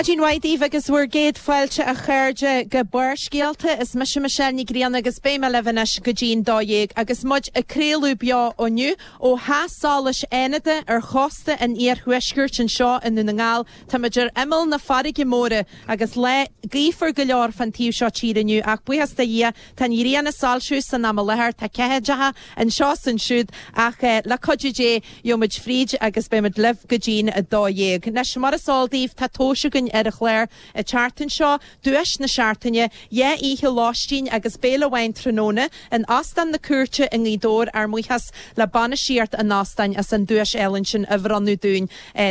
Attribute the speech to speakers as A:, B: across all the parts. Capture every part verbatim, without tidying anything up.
A: Maidin mhaith daoibh agus bhur gcéad fáilte a chairde go Barrscéalta. Is mise Michelle Ní Ghrianna agus beidh mé libh anois go dtí'n dó dhéag agus muid ag craoladh beo inniu ó Theach Solais Fhánada ar chósta an iarthuaiscirt anseo i nDún na nGall. Táimid ar imeall na farraige móire agus lá gaofar go leor fan taobh seo tíre inniu ach buíochas do Dhia tá an ghrian ag soilsiú san am i láthair, tá ceathaideacha anseo is ansiúd ach le cuidiú Dé gheobhaimid fríd agus beimid libh go dtí'n dó dhéag. Anois mar is eol daoibh tá tomhais againn ar an chlár an tseachtain seo, duais na seachtaine, dhá oíche lóistín agus béile amháin tráthnóna in Óstán na Cúirte i nGaoth Dobhair, ár mbuíochas le bainistíocht an óstáin as an duais álainn sin a bhronnadh dúinn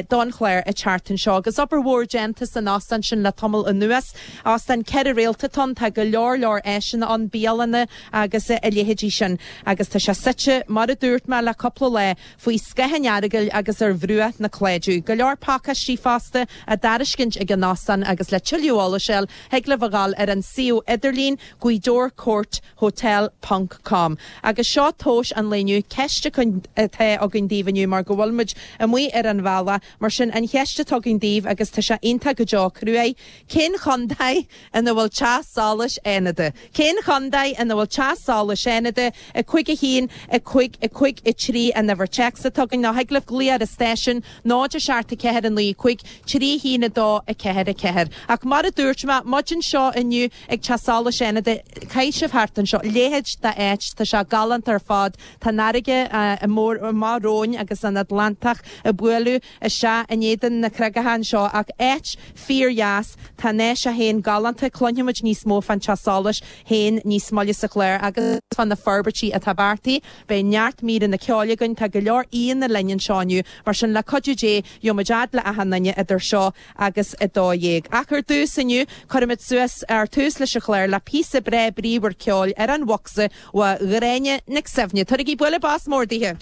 A: don chlár an tseachtain seo. Agus obair mhór déanta san óstán sin le tamall anuas. Óstán ceithre réalta atá ann, tá go leor leor áiseanna ann, bialanna agus a leithéidí sin. Agus tá sé suite, mar a dúirt mé le cúpla lá, faoi scáth an Earagail agus ar bhruach na Cláideadh. Go leor pacáistí fosta á dtairiscint ag an óstán agus le tuilleadh eolais a fháil, thig libh a ghabháil ar an suíomh idirlín Gaoth Court Hotel ponc com. Agus seo tomhas an lae inniu, ceist atá againn daoibh inniu mar go bhfuil muid amuigh ar an bhealach, mar sin an cheist atá againn daoibh agus tá sé iontach go deo cruaidh, cén chontae ina bhfuil Teach Solais Fhánada? Cén chontae ina bhfuil Teach Solais Fhánada? A cúig a haon, a cúig, a cúig a trí an uimhir téacs atá againn nó thig libh glaoch ar an stáisiún, náid a seacht a ceathair a naoi cúig, trí a haon a dó a ceathair a ceathair. Ach mar a dúirt mé, muid anseo inniu ag Teach Solais Fhánada, caithfidh sibh thart anseo, leithéid d'áit, tá sé galánta ar fad, tá an fharraige mór amach romhainn agus an Atlantach ag bualadh isteach in éadan na creagacha anseo ach áit fíordheas, tá an áis féin galánta, cluinfimid níos mó fán Teach Solais féin níos moille sa chlár agus fá na forbairtí atá beartaithe. Beidh neart míreanna ceoil againn, tá go leor aíonna linn anseo inniu, mar sin le cuidiú Dé gheobhaimid fhad le achan duine idir seo agus a dó dhéag. Ach ar dtús inniu, cuirfimid suas ar tús leis an chlár le píosa breá bríomhar ceoil ar an bhocsa ó Ghráinne Nic Suibhne. Tabhairigí bualadh bos mór dithe!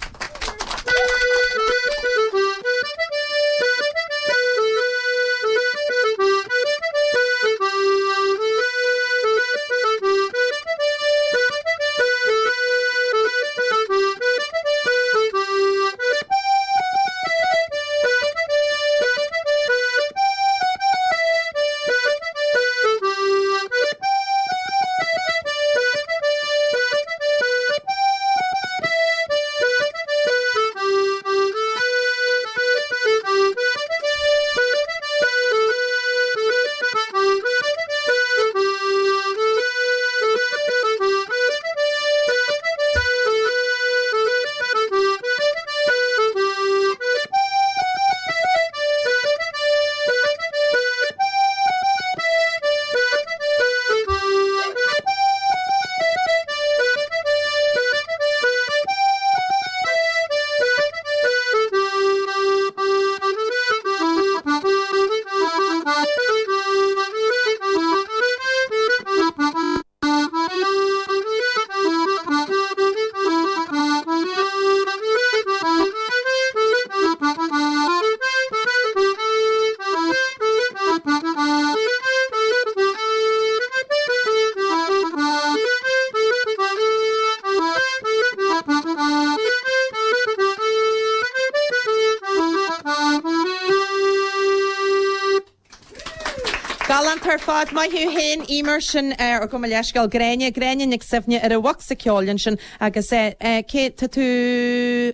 A: Galánta ar fad. Maith thú féin, Emer, sin ar gabh mo leithscéal, Gráinne, Gráinne Nic Suibhne ar an bhocsa ceoil ansin agus cé, tá tú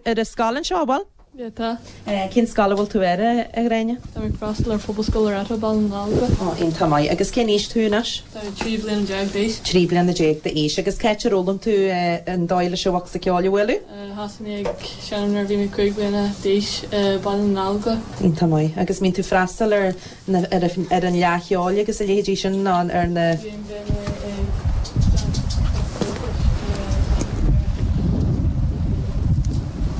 A: ar an scoil anseo, an bhfuil?
B: Yeah, tá.
A: Cén scoil a bhfuil tú air, a Ghráinne?
B: Tá mé ag freastal ar Phobalscoil Loreto, Baile na nGallóglach.
A: Ó, iontach maith. Agus cén aois tú anois?
B: Tá mé trí bliana déag d'aois.
A: Trí bliana déag d'aois. Agus cá háit ar fhoghlaim tú an dóigh leis an bhocsa ceoil a bhualadh?
B: Thosaigh mé ag seinm nuair a bhí mé cúig bliana d'aois i Baile na nGallóglach.
A: Iontach maith. Agus mbíonn tú freastal ar na, ar ar an Fhleadh Cheoil agus a leithéidí sin nó ar na.
B: Bíonn, bíonn mé ag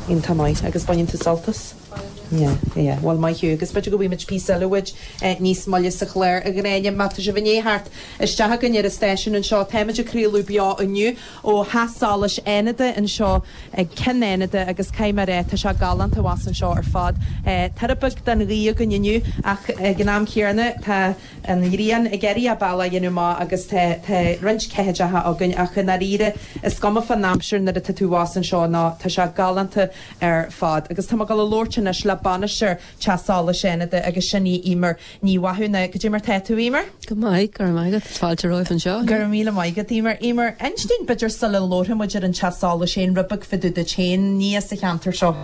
A: Iontach maith. Agus baineann tú sult as?
B: Baineann.
A: Yeah, yeah. Bhuel, maith thú. Agus b'fhéidir go bhfaighimid píosa eile uait níos moille sa chlár, a Ghráinne. Má tá sibh i ndiaidh theacht isteach chugainn ar an stáisiún anseo, táimid ag craoladh beo inniu ó Theach Solais Fhánada anseo ag Ceann Fhánada agus caithfidh mé a rá, tá sé galánta abhus anseo ar fad. Tuar beag den ghaoth againn inniu ach ag an am céanna tá an ghrian ag iarraidh a bealach a dhéanamh amach agus tá tá roinnt ceathaideacha againn ach i ndáiríre is cuma fán aimsir nuair atá tú abhus anseo ná tá sé galánta ar fad. Agus tá mé ag dul a labhairt anois le bainisteoir Teach Solais Fhánada agus sin í Emer Ní Mhathúna. Goidé mar tá tú Emer?
B: Go maith go raibh maith agat fáilte romhat anseo.
A: Go raibh míle maith agat Emer. Emer, inis dúinn b'fhéidir sula labhróidh muid ar an Teach Solais féin rud beag fá dtaobh duit féin ní as an cheantar seo.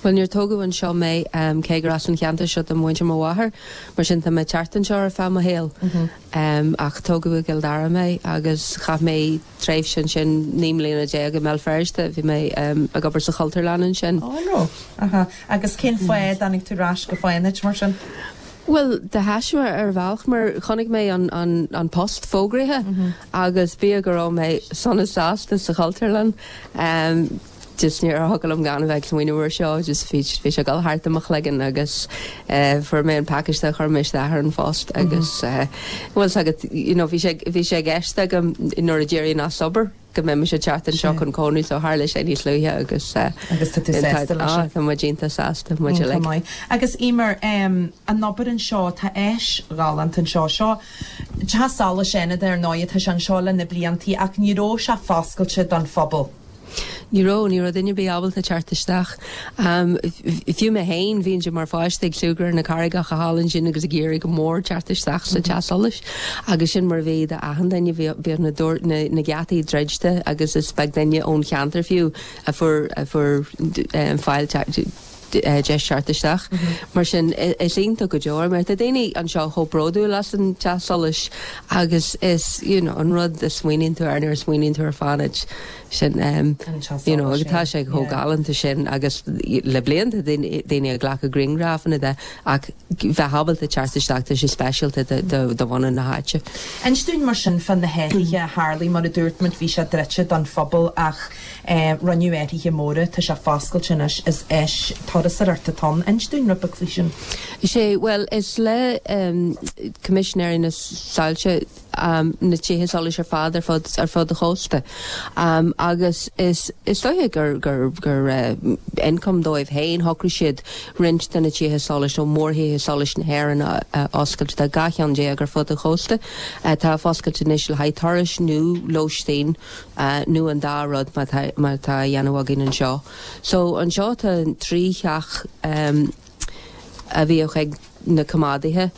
B: Well níor tógadh anseo mé um, cé gur as an cheantar seo do mhuintir mo mháthar, mar sin tá mé teacht anseo ar feadh mo shaoil. Um, ach tógadh i gCill Dara mé agus chaith mé tréimhse ansin naoi mbliana déag i mBéal Feirste bhí mé um, ag obair sa Chultúrlann ansin.
A: Ó no. Aha. Agus cén fáth a dtáinig tú ar ais go Fánaid mar sin?
B: Well de thaisme ar bhealach mar chonaic mé an, an, an post fógraithe mm -hmm. agus bíodh go raibh mé sona sásta sa Chultúrlann. Um, just níor thig liom gan bheith smaoineamh seo just bhí bhí sé gal thart mo chloigeann agus uh, fuair mé an pacáiste chuir mé isteach ar an phost agus uh, well agat you know, bhí sé bhí sé i gceist agam nuair a d'éirím as obair go mbeidh sé teacht anseo chun cónaí so tharla sé níos luaithe agus uh,
A: Agus tá tú sásta leis sin?
B: Tá muid iontach sásta muid
A: Iontach
B: uilig.
A: maith. Agus Emer um, an obair anseo tá áis ghalánta anseo seo Teach Solais Fhánada ar ndóigh tá sé anseo le na bliantaí ach ní raibh sé foscailte don phobal.
B: Ní raibh ní raibh duine ar bith ábalta teacht isteach. Um, Fiú mé féin bhí mar pháiste ag súgradh na carraigeacha thall ansin agus ag iarraidh go mór teacht isteach sa teach solais agus sin mar bhí achan duine bhí na, na, na geataí druidte agus is beag duine ón cheantar fiú a fuair a fuair um, fáil deis teacht isteach. Mar sin is iontach go deo, mar tá daoine anseo chomh bródúil as an teach solais agus is you know, an rud a smaoiníonn tú ar nuair a smaoiníonn tú ar Fánaid sin um, you know, agus tá sé chomh galánta sin agus le blianta daoine ag glacadh grianghrafanna de ach bheith ábalta teacht isteach tá sé speisialta do bhunadh na háite.
A: Inis dúinn mar sin fá na hathruithe a tharla mar a dúirt muid bhí sé druidte don phobal ach eh, rinneadh athruithe móra tá sé foscailte anois is áis turasóireachta atá ann. Inis dúinn rud beag faoi sin.
B: Sé well is le um, Coimisinéirí na Soilse um, na tithe solais ar fad ar fud ar fud an chósta. Um, agus is is dóiche gur gur gur uh, income dóibh féin shocraigh siad roinnt de na tithe solais nó mórthithe solais na hÉireann a, a oscailt tá dhá cheann déag ar fud an chósta uh, tá foscailte anois le haghaidh turais nó lóistín uh, nó an dá rud mar tá mar tá dhéanamh againn anseo. So anseo tá trí theach um, a bhíodh ag na coimeádaithe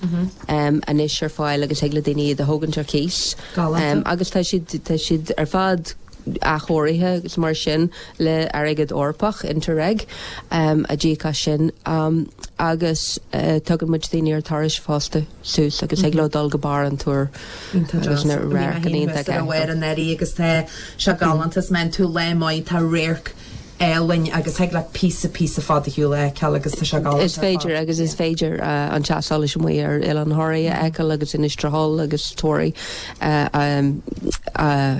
B: um, anois ar fáil agus ag le daoine iad a thógaint ar cíos.
A: Galánta.
B: Um, agus tá siad tá siad ar fad athchóirithe agus mar sin le airgead Eorpach Interreg um, a d'íoc as sin um, agus uh, tugann muid daoine ar turais fosta suas agus ag le dul go barr an túr agus na radharc iontach
A: ar an eirí agus tá sé galánta is men tú le maith tá radharc álainn agus thig le píosa píosa fada shiúl feiceáil agus tá sé galánta.
B: Is féidir agus is féidir uh, an teach solais amuigh ar Oileán Thoraí a fheiceáil agus Inis Trothall agus Toraí uh, um, uh,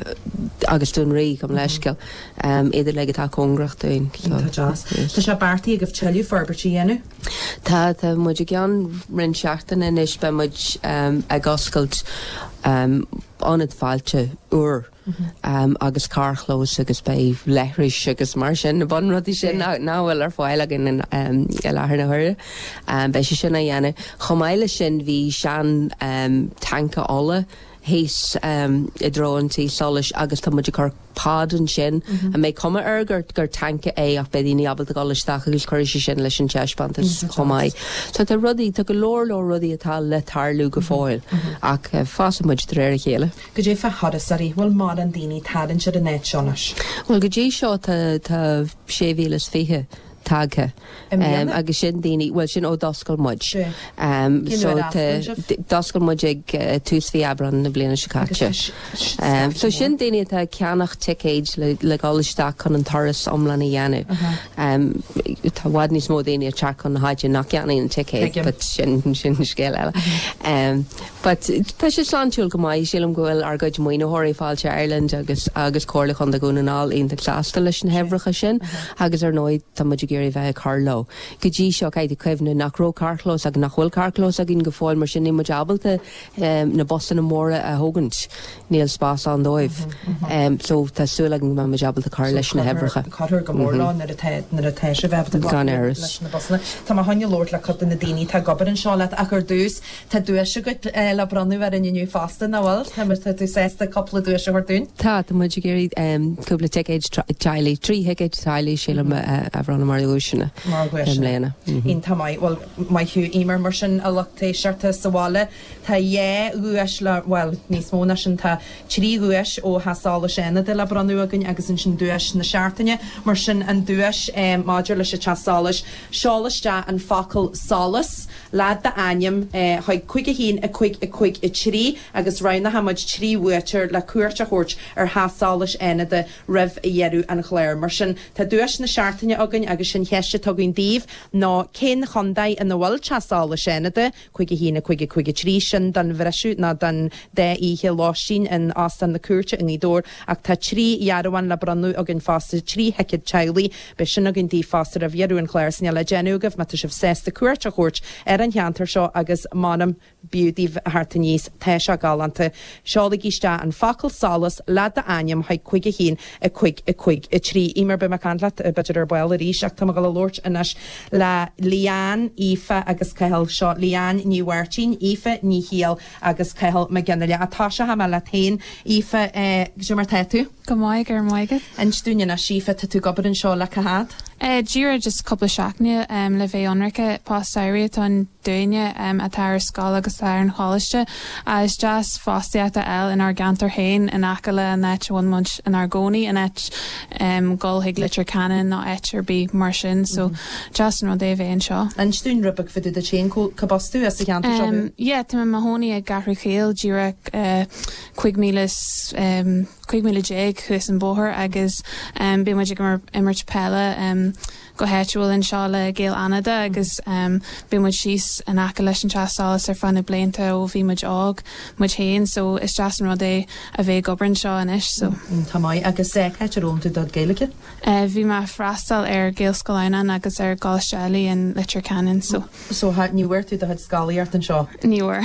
B: agus Dún Rí gabh mo leithscéal um, idir le atá cóngarach dúinn.
A: Tá deas. Tá sé beartaithe agaibh tuilleadh forbairt a dhéanamh?
B: Tá tá muid i gceann roinnt seachtaine anois beidh muid um, ag oscailt um, ionad fáilte úr. Um, agus carrchlós agus beidh leithris agus mar sin na bunrudaí sin ná ná bhfuil ar fáil againn in um, i láthair na huaire. Um, beidh sé sin á dhéanamh. Chomh maith leis sin bhí sean um, tanca ola thíos um, i dtreo an tí solais agus tá muid ag cur pod ansin a mbeidh cuma air gur gur tanca é ach beidh daoine ábalta dul isteach agus chuir sé sin leis an taispeántas chomh maith. So tá rudaí tá go leor leor rudaí atá le tarlú go fóill ach uh, fásfaidh muid de réir a chéile.
A: Goidé fá thurasóirí bhfuil mórán daoine ag tarraingt ar an áit seo anois.
B: Well go dtí seo tá tá sé mhíle is fiche tagtha.
A: I mbliana?
B: Um, agus sin daoine well sin ó d'oscail muid.
A: Sí.
B: Um,
A: Cén
B: so
A: uair a
B: tá-
A: oscail sibh?
B: d- d'oscail muid ag uh, tús mhí Aibreán na bliana seo caite.
A: Agus tá s-
B: Um, so
A: scaifte
B: sin daoine atá ag ceannach ticéid le, le dul isteach chun an turas iomlán a dhéanamh. Um, tá i bhfad níos mó daoine ag teacht chun na háite nach gceannaíonn an ticéad,
A: Tuigim.
B: but sin sin scéal eile. Um, but tá sé sláintiúil go maith sílim go bhfuil ár gcuid maoinitheoirí Fáilte Ireland agus agus Comhairle Chontae Dhún na nGall iontach sásta leis na huimhreacha sin agus ar ndóigh tá muid ag iarraidh bheith ag cur leo. Go dtí seo caithfidh cuimhneamh nach raibh carrchlós agus nach bhfuil carrchlós againn go fóill mar sin níl muid ábalta um, na busanna móra a thógaint níl spás ann dóibh. Um, so tá súil agam go mbeidh muid ábalta cur leis na huimhreacha.
A: Cuirfear go mór leo nuair atá nuair atá sé bheith
B: Gan amhras.
A: leis na busanna. Tá mé chun labhairt le cuid de na daoine atá ag obair anseo leat ach ar dtús tá duais agat eh, le bronnadh ar an inniu fosta nach bhfuil Tá tá tú sásta cúpla duais a thabhairt dúinn?
B: Tá tá muid ag iarraidh um, cúpla ticéid teaghlaigh trí thicéid teaghlaigh sílim a a bhronnadh mar dhuaiseanna
A: Mar dhuaiseanna.
B: i mbliana.
A: Iontach maith well maith thú Eimear mar sin a lucht éisteachta sa bhaile Tá dhá dhuais le well níos mó ná sin tá trí dhuais ó Theach Solais Fhánada le bronnadh againn agus ansin duais na seachtaine mar sin an duais um, maidir leis an teach solais seol isteach an focal solas le d'ainm eh, chuig cúig a haon a cúig a cúig a trí agus roghnóimid trí bhuaiteoir le cuairt a thabhairt ar Theach Solais Fhánada roimh dheireadh an chláir. Mar sin tá duais na seachtaine againn agus sin ceist atá againn daoibh ná cén chontae ina bhfuil Teach Solais Fhánada, cúig a haon a cúig a cúig a trí sin don bhriseadh ná don dá oíche lóistín in Óstán na Cúirte i nGaoth Dobhair ach tá trí dhearbhán le bronnadh againn fosta trí thicéad teaghlaigh beidh sin againn daoibh fosta roimh dheireadh an chláir sin le déanamh agaibh má tá sibh sásta cuairt a thabhairt ar an cheantar seo agus m'anam b'fhiú daoibh a theacht aníos tá sé galánta. Seolaigí isteach an focal solas le d'ainm chuig cúig a haon a cúig a cúig a trí. Eimear beidh mé ag caint leat b'fhéidir ar ball arís ach tá mé ag dul a labhairt anois le Leanne, Aoife agus Cathal seo Leanne Ní Mháirtín, Aoife Ní Shiail agus Cathal Mac Fhionnghaile. Tá sé me le féin Aoife eh, mar tá tú?
C: Go maith ar maigad.
A: Inis dúinn anois Aoife tá tú ag obair anseo le cá fhad?
C: Uh, Díreach just cúpla seachtaine um, le bheith ionraic post samhraidh atá ann dúinne um, atá ar scoil agus ar an choláiste. Uh, is deas fostaíocht a fháil inár gceantar féin in aice le an áit a bhfuil muid inár gcónaí in áit um, dul chuig Leitir Ceanainn nó áit ar bith mar sin, so mm -hmm. deas an rud é bheith anseo.
A: Inis dúinn rud beag fá dtaobh duit féin cárb as tú as an cheantar seo?
C: Um, yeah, tá mé i mo chónaí i gCeathrú Chaoil díreach uh, cúig míle um, cúig míle déag thuas an bóthar agus um, bíonn muid ag imirt peile um, go háitiúil anseo le Gaeil Fhánada agus um, bíonn muid síos in aice leis an teach solais ar feadh na blianta ó bhí muid óg muid féin, so is deas an rud é a bheith ag obair anseo anois so.
A: Tá maith agus cá háit ar fhoghlaim tú do Ghaeilge?
C: Uh, bhí mé freastal ar Ghaelscoil Adhamhnáin agus ar Choláiste eile in Leitir Ceanainn so.
A: So ní bhfuair tú do chuid scolaíocht anseo?
C: Ní bhfuair.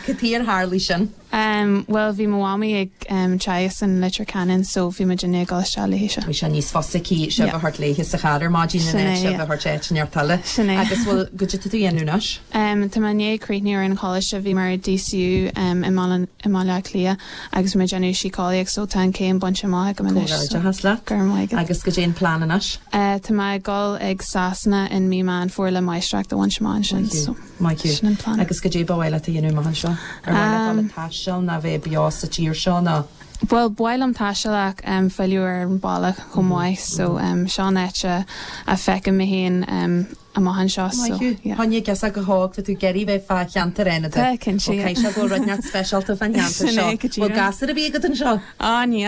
A: Cad chuige ar tharla sin?
C: Um, well bhí mo mhamaí ag um, teagasc in Leitir Ceanainn so bhí muid ag dul isteach léi
A: Bhí sé níos fusa sibh a thabhairt léi sa chathair maidin in sibh a thabhairt áit eile agus bhfuil go dtí tú dhéanúnas?
C: Um, Tá mé i ndiaidh críochnú ar an choláiste bhí mar DCU um, i i mBaile Átha Cliath agus mé ag déanamh síceolaíocht so tá an céim bainte amach agam
A: anois.
C: le
A: agus cad é an plean anois?
C: Uh, Tá mé ag dul ag Sasana in mí Meán Fómhair le máistreacht a bhaint amach ansin so.
A: Sin an plan. Agus cad é ba mhaith leat a dhéanamh amach anseo? Ar mhaith leat taisteal ná bheith beo sa tír seo ná?
C: Well ba mhaith liom taisteal ach um, filleadh ar an baile chomh maith so um, seo an áit a a fheicim mé féin um, amach anseo so
A: Tháinig gus go thóg tú gerí bheith fá cheantar Fhánada.
C: Tá cinnte.
A: sé go rud neart speisialta fan cheantar seo. Bhfuil gasúir ar bith agat anseo?
C: Á ní.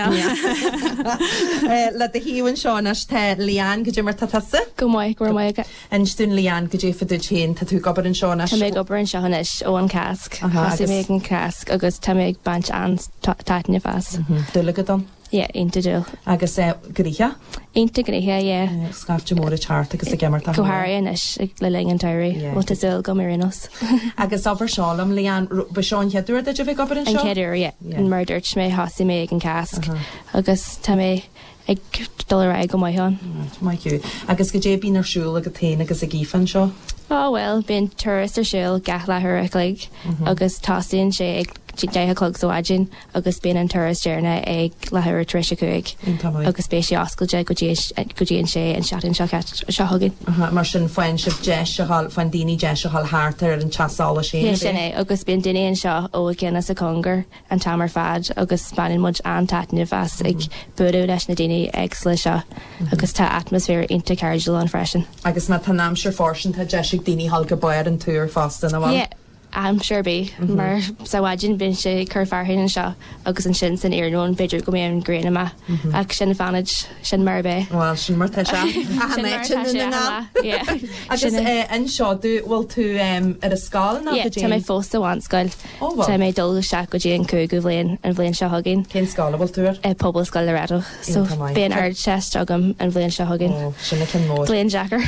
A: Le do thaobh anseo anois tá Leanne cad é mar tá tusa?
D: Go maith go maith.
A: Inis dúinn Leanne cad é fá dtaobh duit féin tá tú ag obair anseo anois.
D: Tá mé ag obair anseo anois ó an Cásc. Thosaigh mé ag an Cásc agus tá mé ag baint an-taitneamh as.
A: Dúil agat ann?
D: Yeah, iontach dúil.
A: Agus gnoitheach?
D: Iontach gnoitheach, yeah.
A: Scaifte mór ag teacht agus ag imirt
D: Go háirithe anois le linn an tsamhraidh, bhfuil tá súil agam ar aon nós.
A: Agus abair seo liom Leanne ba seo an chéad uair duit a bheith ag obair anseo?
D: An chéad uair, yeah. Mar a dúirt mé thosaigh mé ag an Cásc agus tá mé ag dul ar aghaidh go maith ann.
A: Maith thú. Agus cad é a bhíonn ar siúl agat féin agus ag Aoife anseo?
D: Oh well, bíonn turas ar siúl gach leathuair a chloig agus tosaíonn sé ag deich a chlog sa mhaidin agus bíonn an turas deireanach ag leathuair tar éis a cúig agus beidh sé oscailte go dtí go dtí an sé an seachtain seo seo chugainn.
A: Mar sin faigheann sibh deis a ghabháil faigheann daoine deis a ghabháil thart ar an teach solais
D: féin. Sin é agus bíonn daoine anseo ó i gcian is i gcóngar an t-am ar fad agus baineann muid an-taitneamh as ag bualadh leis na daoine éagsúla seo agus tá atmaisféar iontach cairdiúil ann freisin.
A: Agus má tá an aimsir fóirsteanach tá deis ag daoine ghabháil go barr an túir fosta nach bhfuil?
D: Yeah. Aimsir ar bith mar sa mhaidin bíonn sé ag cur fearthainn anseo agus ansin san iarnóin b'fhéidir go mbeidh an ghrian amach ach sin fanfaidh sin mar a bheidh.
A: Bhuel sin mar tá sé achan áit i nDún na nGall. Agus anseo tú bhfuil tú ar an scoil nó
D: go dtí? Tá mé fós sa bhunscoil. Tá mé ag dul isteach go dtí an cúigiú bhliain an bhliain seo chugainn.
A: Cén scoil a bhfuil tú
D: ar? Pobalscoil Loreto. So beidh an Ardteist agam an bhliain seo chugainn.
A: Ó sin an ceann mór.
D: Bliain deacair.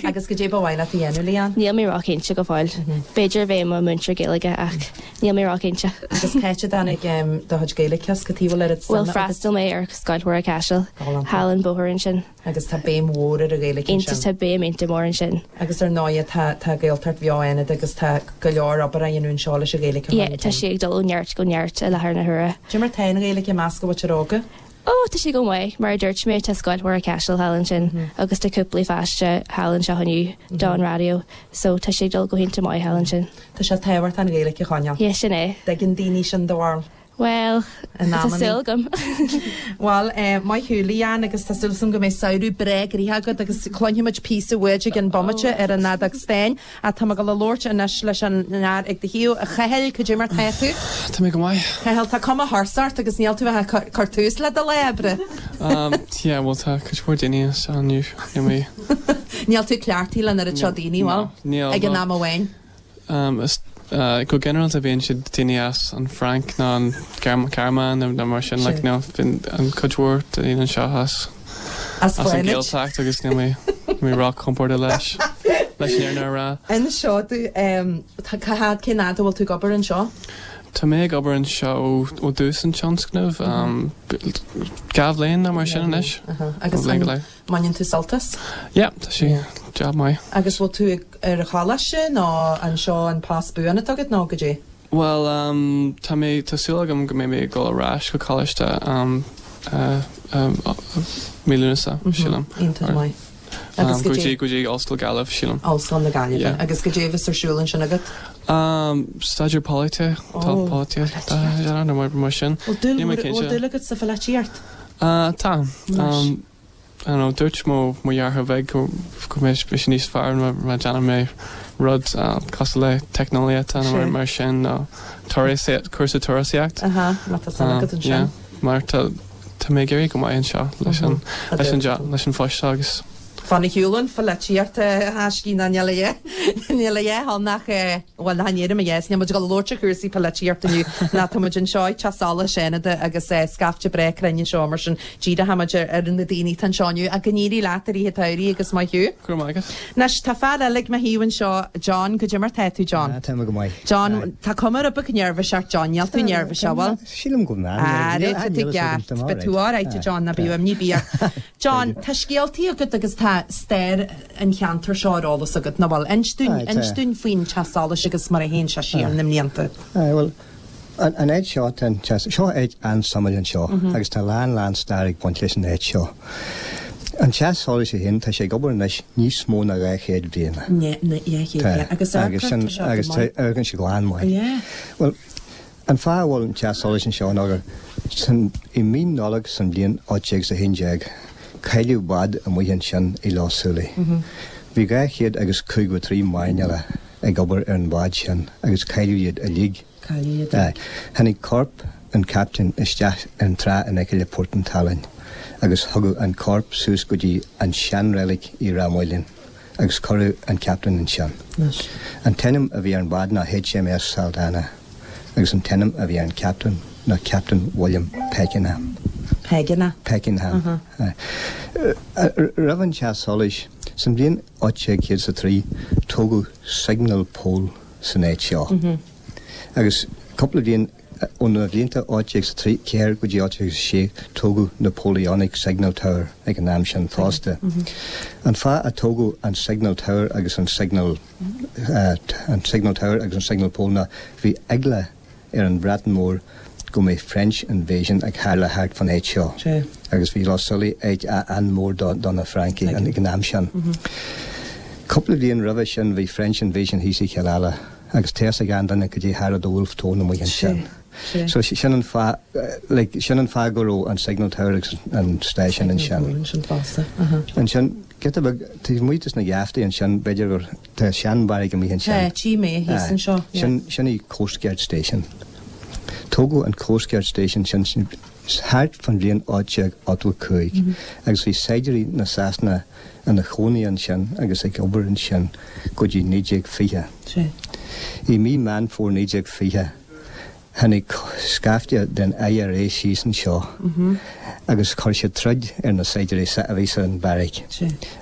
A: Agus goidé ba mhaith leat a dhéanamh Leanne?
D: Níl mé róchinnte go fóill. B'fhéidir bheith i mo mhúinteoir Gaeilge ach níl mé róchinnte.
A: Agus cá háit a dtáinig do chuid Gaeilge as, cad chuige a bhfuil oiread
D: suime agat? Bhuel freastal mé ar Scoil Mhuire Caiseal, thall an bóthar ansin.
A: Agus tá béim mhór ar an Ghaeilge ansin.
D: Tá béim iontach mór ansin.
A: Agus ar ndóigh tá tá Gaeltacht bheo Fhánada agus tá go leor obair á dhéanamh anseo leis an Ghaeilge a chur
D: Yeah, tá sí ag dul ó neart go neart i láthair na huaire.
A: Cad é mar tá an Ghaeilge i measc an mhuintir óga?
D: Ó, tá sé go maith. Mar a dúirt mé, tá Scoil Mhuire Caiseal thall ansin agus tá cúpla pháiste thall anseo inniu don raidió, so tá sé ag dul go hiontach maith thall ansin.
A: Tá sé tábhachtach an Ghaeilge a choinneáil.
D: Yeah, sin é.
A: Dtuigeann daoine sin do bharúil?
D: Bhuel, tá súil agam.
A: Bhuel, maith thú, Leanne, agus tá súil agam go mbeidh samhradh breá gnoitheach agat agus cluinfidh muid píosa uait ag an bomaite ar an fheadóg stáin. Ach tá mé ag dul a labhairt anois leis an fhear ag do thaobh. A Chathail, cad é mar tá tú?
E: Tá mé go maith.
A: Cathal, tá cuma thuirseach ort agus níl tú ach ag cur tús le do lá oibre.
E: Yeah, bhuel tá cuid mhór daoine anseo inniu, níl mé.
A: Níl tú cleachtaithe le an oiread seo daoine, bhfuil?
E: Níl.
A: Ag an am amháin.
E: Is go ginearálta bíonn siad daoine as an Fhrainc nó an Ghearmáin nó mar sin, like, níl, bíonn an cuid mhór daoine anseo as.
A: As
E: As an Ghaeltacht agus níl mé níl mé róchompordach leis leis an fhírinne a rá.
A: Inis domh, cá fhad, cén fhad a bhfuil tú ag obair anseo?
E: Tá mé ag obair anseo ó ó dtús an tionscnaimh, dhá bhliain nó mar sin anois.
A: Agus
E: Bhliain go leith.
A: mbaineann tú sult as?
E: Yeah, tá sé job maith.
A: Agus bhfuil tú ag ar an choláiste nó anseo an post buan atá agat nó goidé?
E: Bhuel, tá mé, tá súil agam go mbeidh mé ag dul ar ais go coláiste mí Lúnasa, sílim.
A: Iontach maith. Agus
E: go dtí, go dtí Ollscoil Gaillimh, sílim.
A: Ollscoil na Gaillimhe. Agus goidé a bheas ar siúl ansin agat?
E: Staidéar polaitíochta, polaitíochta, nó mar, mar sin.
A: Bhfuil dúil, bhfuil dúil agat sa pholaitíocht?
E: Tá. I don't know, dúirt mo mo dheartháir beag go go mbeidh sé níos fearr má má déanann mé rud cosúil le teicneolaíocht nó mar mar sin nó turasaíocht, cúrsa turasaíocht.
A: Aha, má tá suim agat ansin.
E: Yeah, mar tá tá mé ag éirí go maith anseo leis an leis an job leis an phost seo agus.
A: Fan ar shiúl ón pholaitíocht a thaiscí ná níl a dhath níl a dhath ann ach bhuel nach ndéarfaidh mé yes, níl muid ag dul a labhairt ar chúrsaí polaitíochta inniu ná tá muid anseo ag Teach Solais Fhánada agus scaifte breá cruinn anseo mar sin díreoidh muid ar ar na daoine atá anseo inniu ach go n-éirí leat i rith an tsamhraidh agus maith thú.
E: Go raibh maith agat.
A: Anois tá fear eile ag mo thaobh anseo, John, goidé mar tá tú John?
F: Ah, tá mé go maith.
A: John, tá cuma rud beag neirbhíseach ort John, níl tú neirbhíseach, bhfuil?
F: Sílim go bhfuil.
A: Ah, tá tú i gceart, beidh tú alright a John, ná bíodh imní ar bith ort. John, tá scéaltaí agat agus tá stair an cheantair seo ar eolas agat, nach bhfuil? Inis dúinn, inis dúinn faoin Teach Solais agus mar a théann sé siar na mblianta.
F: Aye, bhuel, an, an áit seo, tá an teach, seo áit an-suimiúil anseo agus tá lán, lán stair ag baint leis an áit seo. An Teach Solais é féin, tá sé ag obair anois níos mó ná dhá chéad bliain.
A: Ní, ní, dhá chéad bliain. Agus
F: Tá, agus sin, agus tá, amharcann sé glan maith.
A: Yeah.
F: Bhuel, An fáth a bhfuil an teach solais anseo ná gur san i mí Nollag san bhliain ocht déag is a haon déag cailleadh bád amuigh ansin i Loch Súilí. Bhí dhá chéad agus caoga a trí mairnéalach ag obair ar an bhád sin agus cailleadh iad uilig.
A: Cailleadh iad uilig.
F: Tháinig corp an captaen isteach ar an trá in aice le Port an tSalainn agus tugadh an corp suas go dtí an seanreilig i Ráth Mhaoláin. agus cuireadh an captaen ansin. An t-ainm a bhí ar an bhád ná HMS Saldanha agus an t-ainm a bhí ar an captaen ná Captain William Pakenham.
A: Pakenham.
F: Pakenham. Roimh an teach solais, san bhliain ocht déag céad is a trí, tógadh signal pole san áit seo. Agus cúpla bliain Ó na blianta ocht déag is a ceathair go dtí ocht déag is a sé tógadh Napoleonic Signal Tower ag an am sin fosta. An fáth a tógadh an Signal Tower agus an Signal an Signal Tower agus an Signal Pole ná bhí eagla ar an Bhreatain Mhór go mbeadh French Invasion ag tharla thart fan áit seo agus bhí Loch Súilí áit an-mhór do na Francaigh ag an am sin. Cúpla bliain roimhe sin bhí French Invasion thíos i Chill Ala. Agus tá fhios ag achan duine goidé a tharla do Wolfe Tone amuigh ansin. So sin an fáth, like, sin an fáth go raibh an Signal Tower agus an stáisiún ansin. Ansin, Giota beag taobh amuigh dos na geaftaí ansin, b'fhéidir gur tá seanbheairic amuigh ansin.
A: Tá, tchí mé thíos anseo, yeah.
F: Sin, sin í Coast Guard Station. Tógadh an Coast Guard Station sin thart fán bhliain ocht déag ochtó a cúig agus bhí saighdiúirí na Sasana ina chónaí ansin agus ag obair ansin go dtí naoi déag fiche. I mí Meán Fómhair naoi déag fiche tháinig scaifte den IRA síos anseo agus chuir siad troid ar na saighdiúirí a bhí san bheairic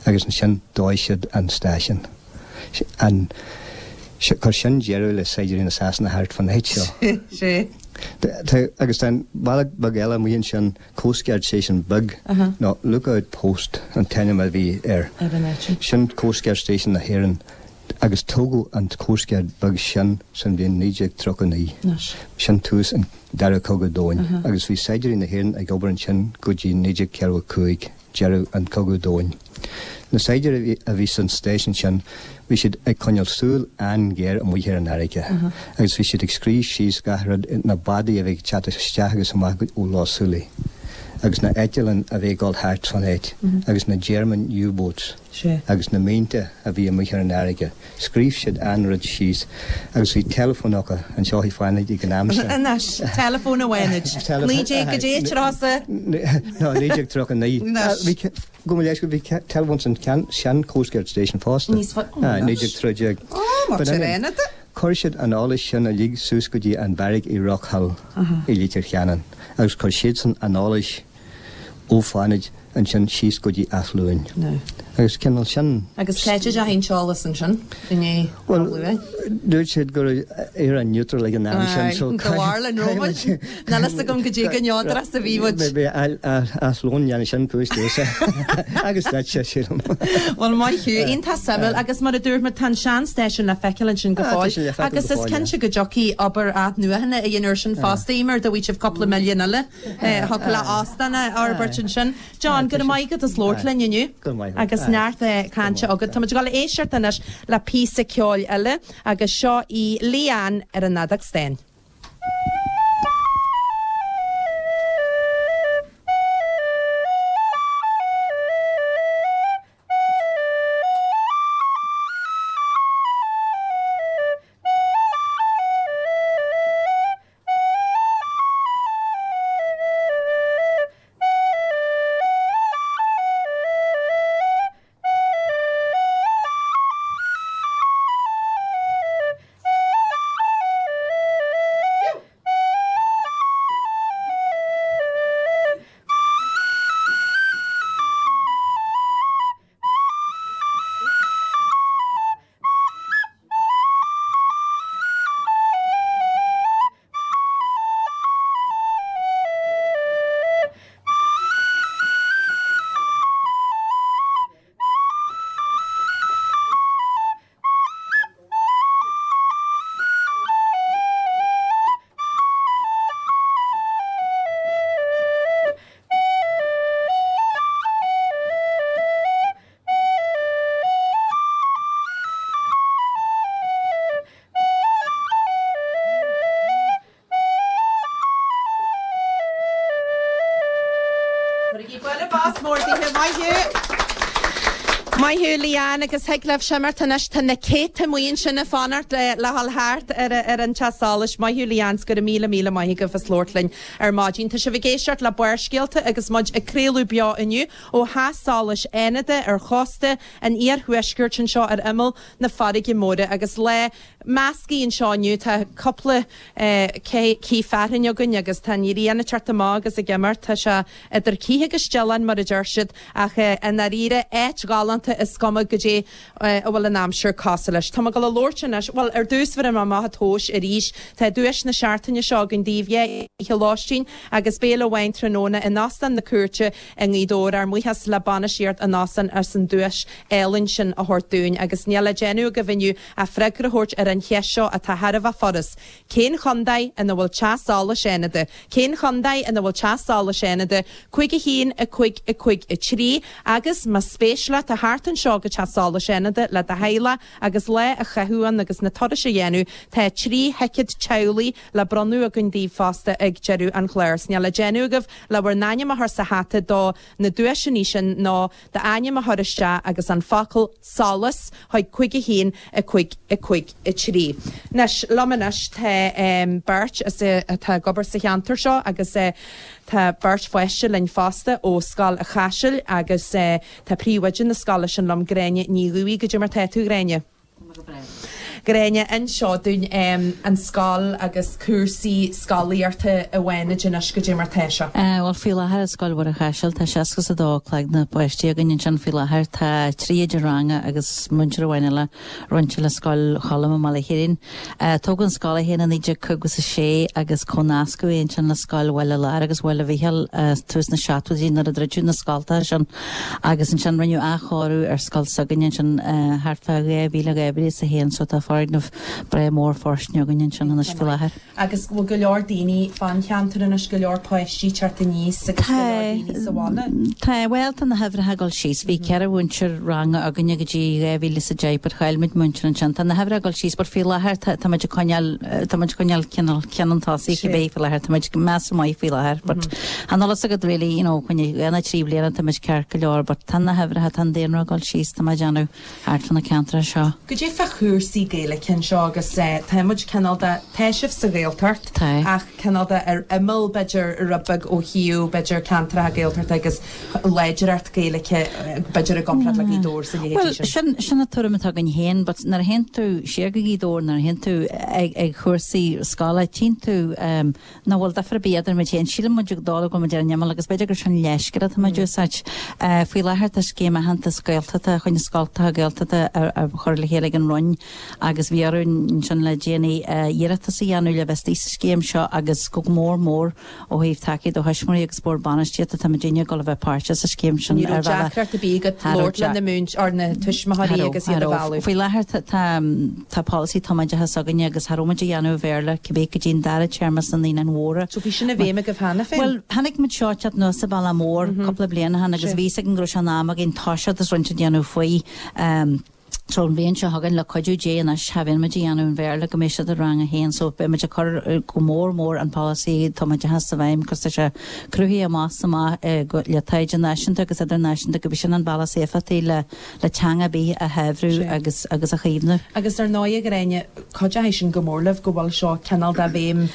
F: agus ansin dóigh siad an stáisiún. An Chuir sin deireadh le saighdiúirí na Sasana thart fán áit seo. Agus tá an beairic beag eile amuigh ansin, Coast Guard Station beag, nó Lookout Post an t-ainm a bhí air. Sin Coast Guard Station na hÉireann agus tógadh an Coast Guard beag sin san bhliain naoi déag tríocha naoi. Sin tús an Dara Cogadh Domhain agus bhí saighdiúirí na hÉireann ag obair ansin go dtí naoi déag ceathracha cúig. deireadh an Cogadh Domhain. Na saighdiúirí a bhí san stáisiún sin, bhí siad ag coinneáil súil an-ghéar amuigh ar an fharraige agus bhí siad ag scríobh síos gach rud, na bádaí a bhí ag teacht isteach agus amach ó Loch Súilí agus na eitleáin a bhí ag dul thart fán áit agus na German U-boats agus na mínte a bhí amuigh ar an fharraige. Scríobh siad an rud síos agus bhí teileafón acu anseo i Fánaid ag an am sin.
A: Anois, teileafón i bhFánaid. Naoi déag go dté, tráth-sa?
F: No, naoi déag tríocha naoi. Bhí, gabh mo leithscéal, bhí teileafón san sean Coast Guard Station fosta.
A: Níos fa, ó,
F: anois. Naoi déag trí déag.
A: Ó, mar sin é.
F: Chuir siad an eolas sin uilig suas go dtí an bheairic i Rockhill i Leitir Ceanainn agus chuir siadsan an eolas ó Fánaid ansin síos go dtí Áth Luain. Agus cineál sin.
A: Agus cá háit a dteachaigh an t-eolas ansin i ndiaidh
F: Bhuel,
A: Áth Luain?
F: dúirt siad go raibh Éire neutral ag an am sin so
A: Go bhfearr linn romhainn. Níl fhios agam goidé chomh neodrach is a bhí muid.
F: Bhí Áth Luain dhéanamh sin cúis domhsa agus duitse, sílim.
A: Bhuel, maith thú. Iontach suimiúil agus mar a dúirt muid tá an sean-stáisiún le feiceáil ansin go
F: Ah, tá
A: fóill
F: sé le feiceáil
A: agus
F: go
A: is
F: fóill, yeah.
A: cinnte go dtiocfaidh obair athnuachana a dhéanamh air sin fosta, Eimear, dá bhfaighidh sibh cúpla milliún eile. Thiocfadh le óstán a fhorbairt ansin. John, go raibh maith agat as labhairt linn inniu agus neart cainte agat. Tá muid ag dul a éisteacht anois le píosa ceoil eile agus seo í Leanne ar an fheadóg stáin. Cuirigí bualadh bos mór daoithe. Maith thú! Maith thú, Leanne, agus thig libh imeacht anois, tá na céadta amuigh ansin ag fanacht le dhul thart ar ar an teach solais. Maith thú, Leanne, 's go raibh míle míle maith agaibh as labhairt linn ar maidin. Tá sibh ag éisteacht le Barrscéalta agus muid ag craoladh beo inniu ó Theach Solais Fhánada ar chósta an iarthuaiscirt anseo ar imeall na farraige móire agus lá measctha anseo inniu. Tá cúpla cith fearthainn againn agus tá an ghrian ag teacht amach agus ag imeacht. Tá sé idir cith agus dealán mar a deir siad ach i ndáiríre áit ghalánta is cuma goidé a bhfuil an aimsir cosúil leis. Tá mé ag dul a labhairt anois, bhuel ar dtús bhéarfaidh mé amach an tomhas arís. Tá duais na seachtaine seo againn daoibh, dhá oíche lóistín agus béile amháin tráthnóna in Óstán na Cúirte i nGaoth Dobhair. Ár mbuíochas le bainistíocht an óstáin as an duais álainn sin a thabhairt dúinn agus níl le déanamh agaibh inniu ach freagra a thabhairt ar an cheist seo atá thar a bheith furast, Cén chontae ina bhfuil Teach Solais Fhánada? Cén chontae ina bhfuil Teach Solais Fhánada? Cúig a haon, a cúig, a cúig, a trí Agus más spéis leat a theacht teacht anseo go Teach Solais Fhánada le do theaghlach agus lá a chaitheamh ann agus na turais a dhéanamh, tá trí thicéad teaghlaigh le bronnadh againn daoibh fosta ag deireadh an chláir. 'S níl le déanamh agaibh le bhur n-ainm a chur sa hata do na duaiseanna sin ná d'ainm a chur isteach agus an focal 'solas' chuig cúig a haon, a cúig, a cúig, a trí. Anois, liom anois tá beirt atá ag obair sa cheantar seo agus tá beirt pháiste linn fosta ó Scoil a' Chaisil agus tá príomhoide na scoile sin liom, Gráinne Ní Dhubhaigh. Goidé mar tá tú, Gráinne? Gráinne, inis dúinn an scoil agus cúrsaí scolaíochta i bhFánaid anois, goidé mar tá sé.
G: Bhuel, faoi láthair i Scoil Mhuire Chaisil tá seasca is a dó cloigne páistí againn ansin faoi láthair. Tá trí oide ranga agus múinteoir amháin eile roinnte le Scoil Choilm i mBaile Chairín. Tógadh an scoil í féin i naoi déag caoga is a sé agus comhnascadh í ansin le Scoil Bhaile Láir agus Bhaile Mhíchíl tús na seachtóidí nuair a druideadh na scoltacha sin agus ansin rinneadh athchóiriú ar scoil s'againne ansin thart fá dhá mhíle, dhá mhíle is a haon so tá foirgneamh breá mór fóirsteanach againn ansin anois faoi láthair.
A: Agus bhfuil go leor daoine fán cheantar anois, go leor páistí teacht aníos agus go leor daoine sa bhaile?
G: Tá, bhuel tá na huimhreacha ag dul síos. Bhí ceithre mhúinteoir ranga againne go dtí dhá mhíle is a deich but chaill muid múinteoir ansin. Tá na huimhreacha ag dul síos but faoi láthair tá tá muid ag coinneáil tá muid ag coinneáil cineál ceann an tosaigh cibé faoi láthair. Tá muid measartha maith faoi láthair but chan fhuil fhios agat really you know coinne dhá nó trí bliana tá muid ceart go leor but tá na huimhreacha tá an daonra ag dul síos tá mé ag déanamh thart fá na ceantracha seo.
A: Goidé fá chúrsaí Gaeilge anseo agus tá muid cineál de, tá sibh sa Ghaeltacht ach cineál de ar imeall b'fhéidir rud beag ó thaobh b'fhéidir ceantracha Gaeltachta agus láidreacht Gaeilge b'fhéidir i gcomparáid le Gaoth Dobhair is a leithéidí
G: Bhuel,
A: sin.
G: sin, sin an tuairim atá againn féin but nuair a théann tú siar go Gaoth Dobhair, nuair a théann tú ag, ag chúrsaí scoile, tchíonn tú nach bhfuil difear ar bith idir muid féin. Síleann muid ag dul go bhfuil muid ar an imeall agus b'fhéidir gur sin leithscéal atá muid a úsáid. Faoi láthair tá scéim aitheantas Gaeltachta chun na scoltacha Gaeltachta a chur le chéile ag an Roinn agus bhí orainn ansin le déanaí iarratas a dhéanamh le bheith istigh sa scéim seo agus go mór mór ó thaobh tacaíocht ó thuismitheoirí agus bord bainistíochta tá muidinne ag dul a bheith páirteach sa scéim sin
A: Ní raibh
G: ar bhealach.
A: deacracht ar bith agat labhairt le na múint or na tuismitheoirí agus iad a mhealladh.
G: Faoi láthair tá tá tá polasaí tumoideachais againne agus cha raibh muid a dhéanamh i Bhéarla cibé go dtí an dara téarma sna Naíonáin Mhóra.
A: So bhí sin i bhfeidhm agaibh cheana féin?
G: Bhuel, tháinig muid seo teacht anuas sa Bhaile Mór cúpla bliain ó shin agus bhí fhios againn go raibh sé in am againn toiseacht is roinnt a dhéanamh faoi. So an bhliain seo chugainn le cuidiú Dé anois cha bheidh muid a dhéanamh an Bhéarla go mbeidh siad i rang a haon so beidh muid ag cur go mór mór an polasaí tumoideachais i bhfeidhm cos tá sé cruthaithe amach is amach le taighde náisiúnta agus idirnáisiúnta gurb é sin an bealach is éifeachtaí le le teanga ar bith a shaibhriú agus agus a chaomhnú.
A: Agus ar ndóigh a Ghráinne, cuideoidh sin go mór libh go bhfuil seo cineál de bhéim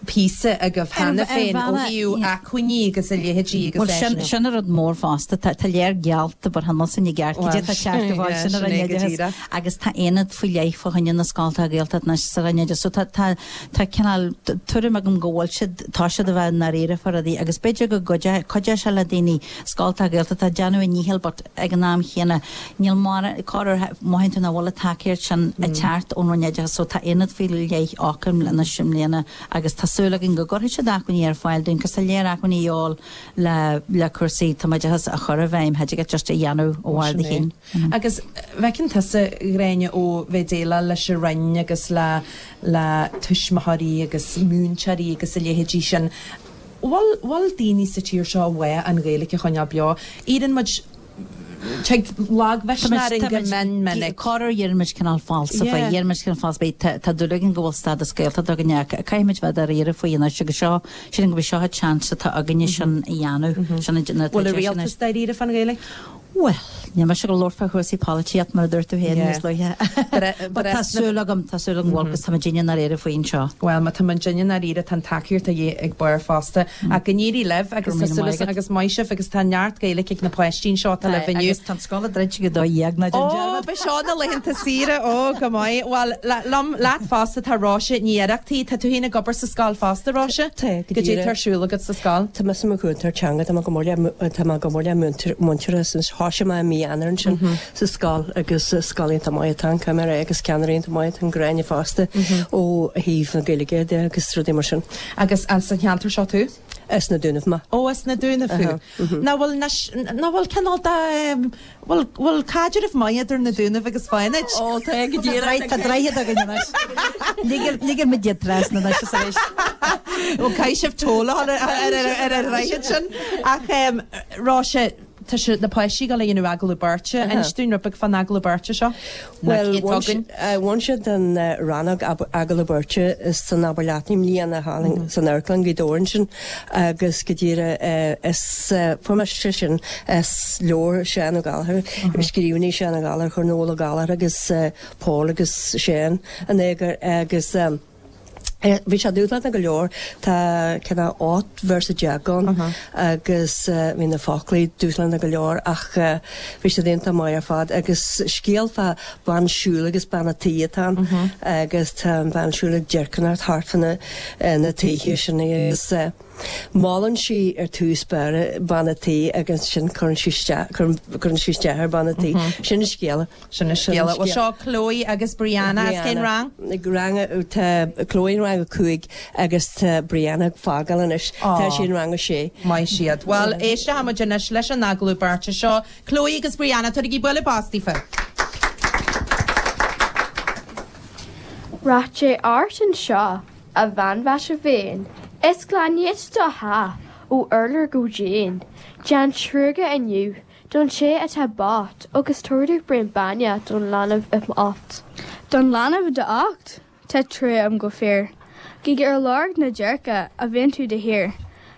A: píosa agaibh cheana féin ó thaobh acmhainní agus a leithéidí agus
G: Bhuel, sin,
A: eisean.
G: sin an rud mór fosta. Tá, tá léir geallta but chan fhuil sin i gceart. Cad é tá ceart a bhfáil sin ar an oideachas agus tá aonad faoi leith fá choinne na scoltacha Gaeltachta anois sa Roinn Oideachais. So tá, tá, tá cineál tuairim agam go bhfuil siad, tá siad a bheith i ndáiríre fá rudaí agus b'fhéidir go gcuideoidh, cuideoidh sé le daoine scoltacha Gaeltachta déanamh a ndícheall but ag an am chéanna níl mar, corruair mothaíonn tú nach bhfuil an tacaíocht sin ag teacht ón Roinn Oideachais. So tá aonad faoi leith acu anois i mbliana agus tá súil againn go gcuirfidh siad acmhainní ar fáil dúinn, cos tá léir acmhainní a dhíobháil le le cúrsaí tumoideachais a chur i bhfeidhm, cha dtig leat just a dhéanamh ó bharr do chinn.
A: Agus bhfeiceann tusa, Ghráinne, ó bheith déileáil leis an Roinn agus le le tuismitheoirí agus múinteoirí agus a leithéidí sin, bhfuil bhfuil daoine sa tír seo uaidh an Ghaeilge a choinneáil beo? Iarrann muid Tig lagmhisneach orainn go mion minic.
G: Corruair iarrann muid cineál falsa faoi, iarrann muid cineál falsa faoi. Tá dúil againn go bhfuil stádas Gaeltachta againn ach caithfidh muid bheith dáiríre faoi anois agus seo, sílim go bhfuil seo an chance atá againne sin a dhéanamh. Sin an
A: Bhfuil an rialtas dáiríre fán Ghaeilge?
G: Bhuel, níl mise ag labhairt fá chúrsaí polaitíocht mar a dúirt tú féin níos luaithe. But tá súil agam, tá súil agam go bhfuil agus tá muidinne i ndáiríre faoi anseo.
A: Bhuel, má tá muidinne i ndáiríre tá an tacaíocht a dhíth ag barr fosta. Ach go n-éirí libh agus tá súil agam agus maith sibh agus tá neart Gaeilge ag na páistí anseo atá libh inniu.
G: Agus tá an scoil ag druid ag a dó dhéag ná déan
A: Ó,
G: dearmad.
A: ba seo na laethanta saoire, ó, go maith. Bhuel, liom, leat fosta tá Róise Ní Oireachtaigh. Tá tú féin ag obair sa scoil fosta, Róise?
H: Tá, go
A: Goidé
H: díreach.
A: tá ar siúl agat sa scoil?
H: Tá mise i mo chúntóir teanga, tá mé go mór le, tá mé go mór le múinteoir since thoisigh mé i mí Eanáir ansin sa scoil agus scoil iontach maith atá ann, caithfidh mé a rá, agus ceannairí iontach maith atá ann, Gráinne fosta ó thaobh na Gaeilge de agus rudaí mar sin.
A: Agus as an cheantar seo tú?
H: As na Dúnaibh mé.
A: Ó, as na Dúnaibh thú. Nach bhfuil anois, nach bhfuil cineál de, bhfuil, bhfuil caidreamh maith idir na Dúnaibh agus Fánaid?
H: Ó, tá go díreach.
G: Tá droichead againn anois. Ligfidh muid iad trasna anois is arís.
A: Ó, caithfidh sibh toll a chur ar an droichead sin. Ach, Róise, tá sé na páistí ag gabháil a dhéanamh agallamh beirte. Inis dúinn rud beag fán agallamh beirte seo.
H: Bhuel, bhain siad den rannóg agallamh beirte san Abair Leat i mbliana thall san Amharclann Ghaoth Dobhair ansin agus go díreach is fuair mé sin as leabhar Seán Ó Gallchóir, scríbhinní Seán Ó Gallchóir, chuir Noel Ó Gallchóir agus Paul agus Seán in eagar agus bhí sé dúshlánach go leor, tá cineál ocht véarsa déag ann agus bhí na foclaí dúshlánach go leor ach bhí siad iontach maith ar fad agus scéal fá bean siúil agus bean a' tí atá ann agus tá an bhean siúil ag deircineacht thart fá na na tithe sin agus molann sí ar tús báire bean a' tí agus ansin cuireann sí isteach cuireann sí isteach ar bean a' tí. Sin an scéal.
A: Sin an scéal. Bhuel seo Chloe agus Brianna as cén rang?
H: Rang tá Chloe in rang a cúig agus tá Brianna ag fágáil anois. Tá sí in rang a sé.
A: Maith siad. Bhuel éistfidh muid anois leis an agallamh beirte seo. Chloe agus Brianna, tabhairigí bualadh bos daofa.
I: Rath Dé ort anseo, a bhean mhaise mhéin, is glan dhuit do theach ó urlár go díon. Déan truaighe inniu don té atá bocht agus tabhair domh braon bainne don leanbh i m'ucht.
J: Don leanbh i d'ucht? Tá trua agam go fíor. Gidh ar lorg na déirce a bhíonn tú de shíor.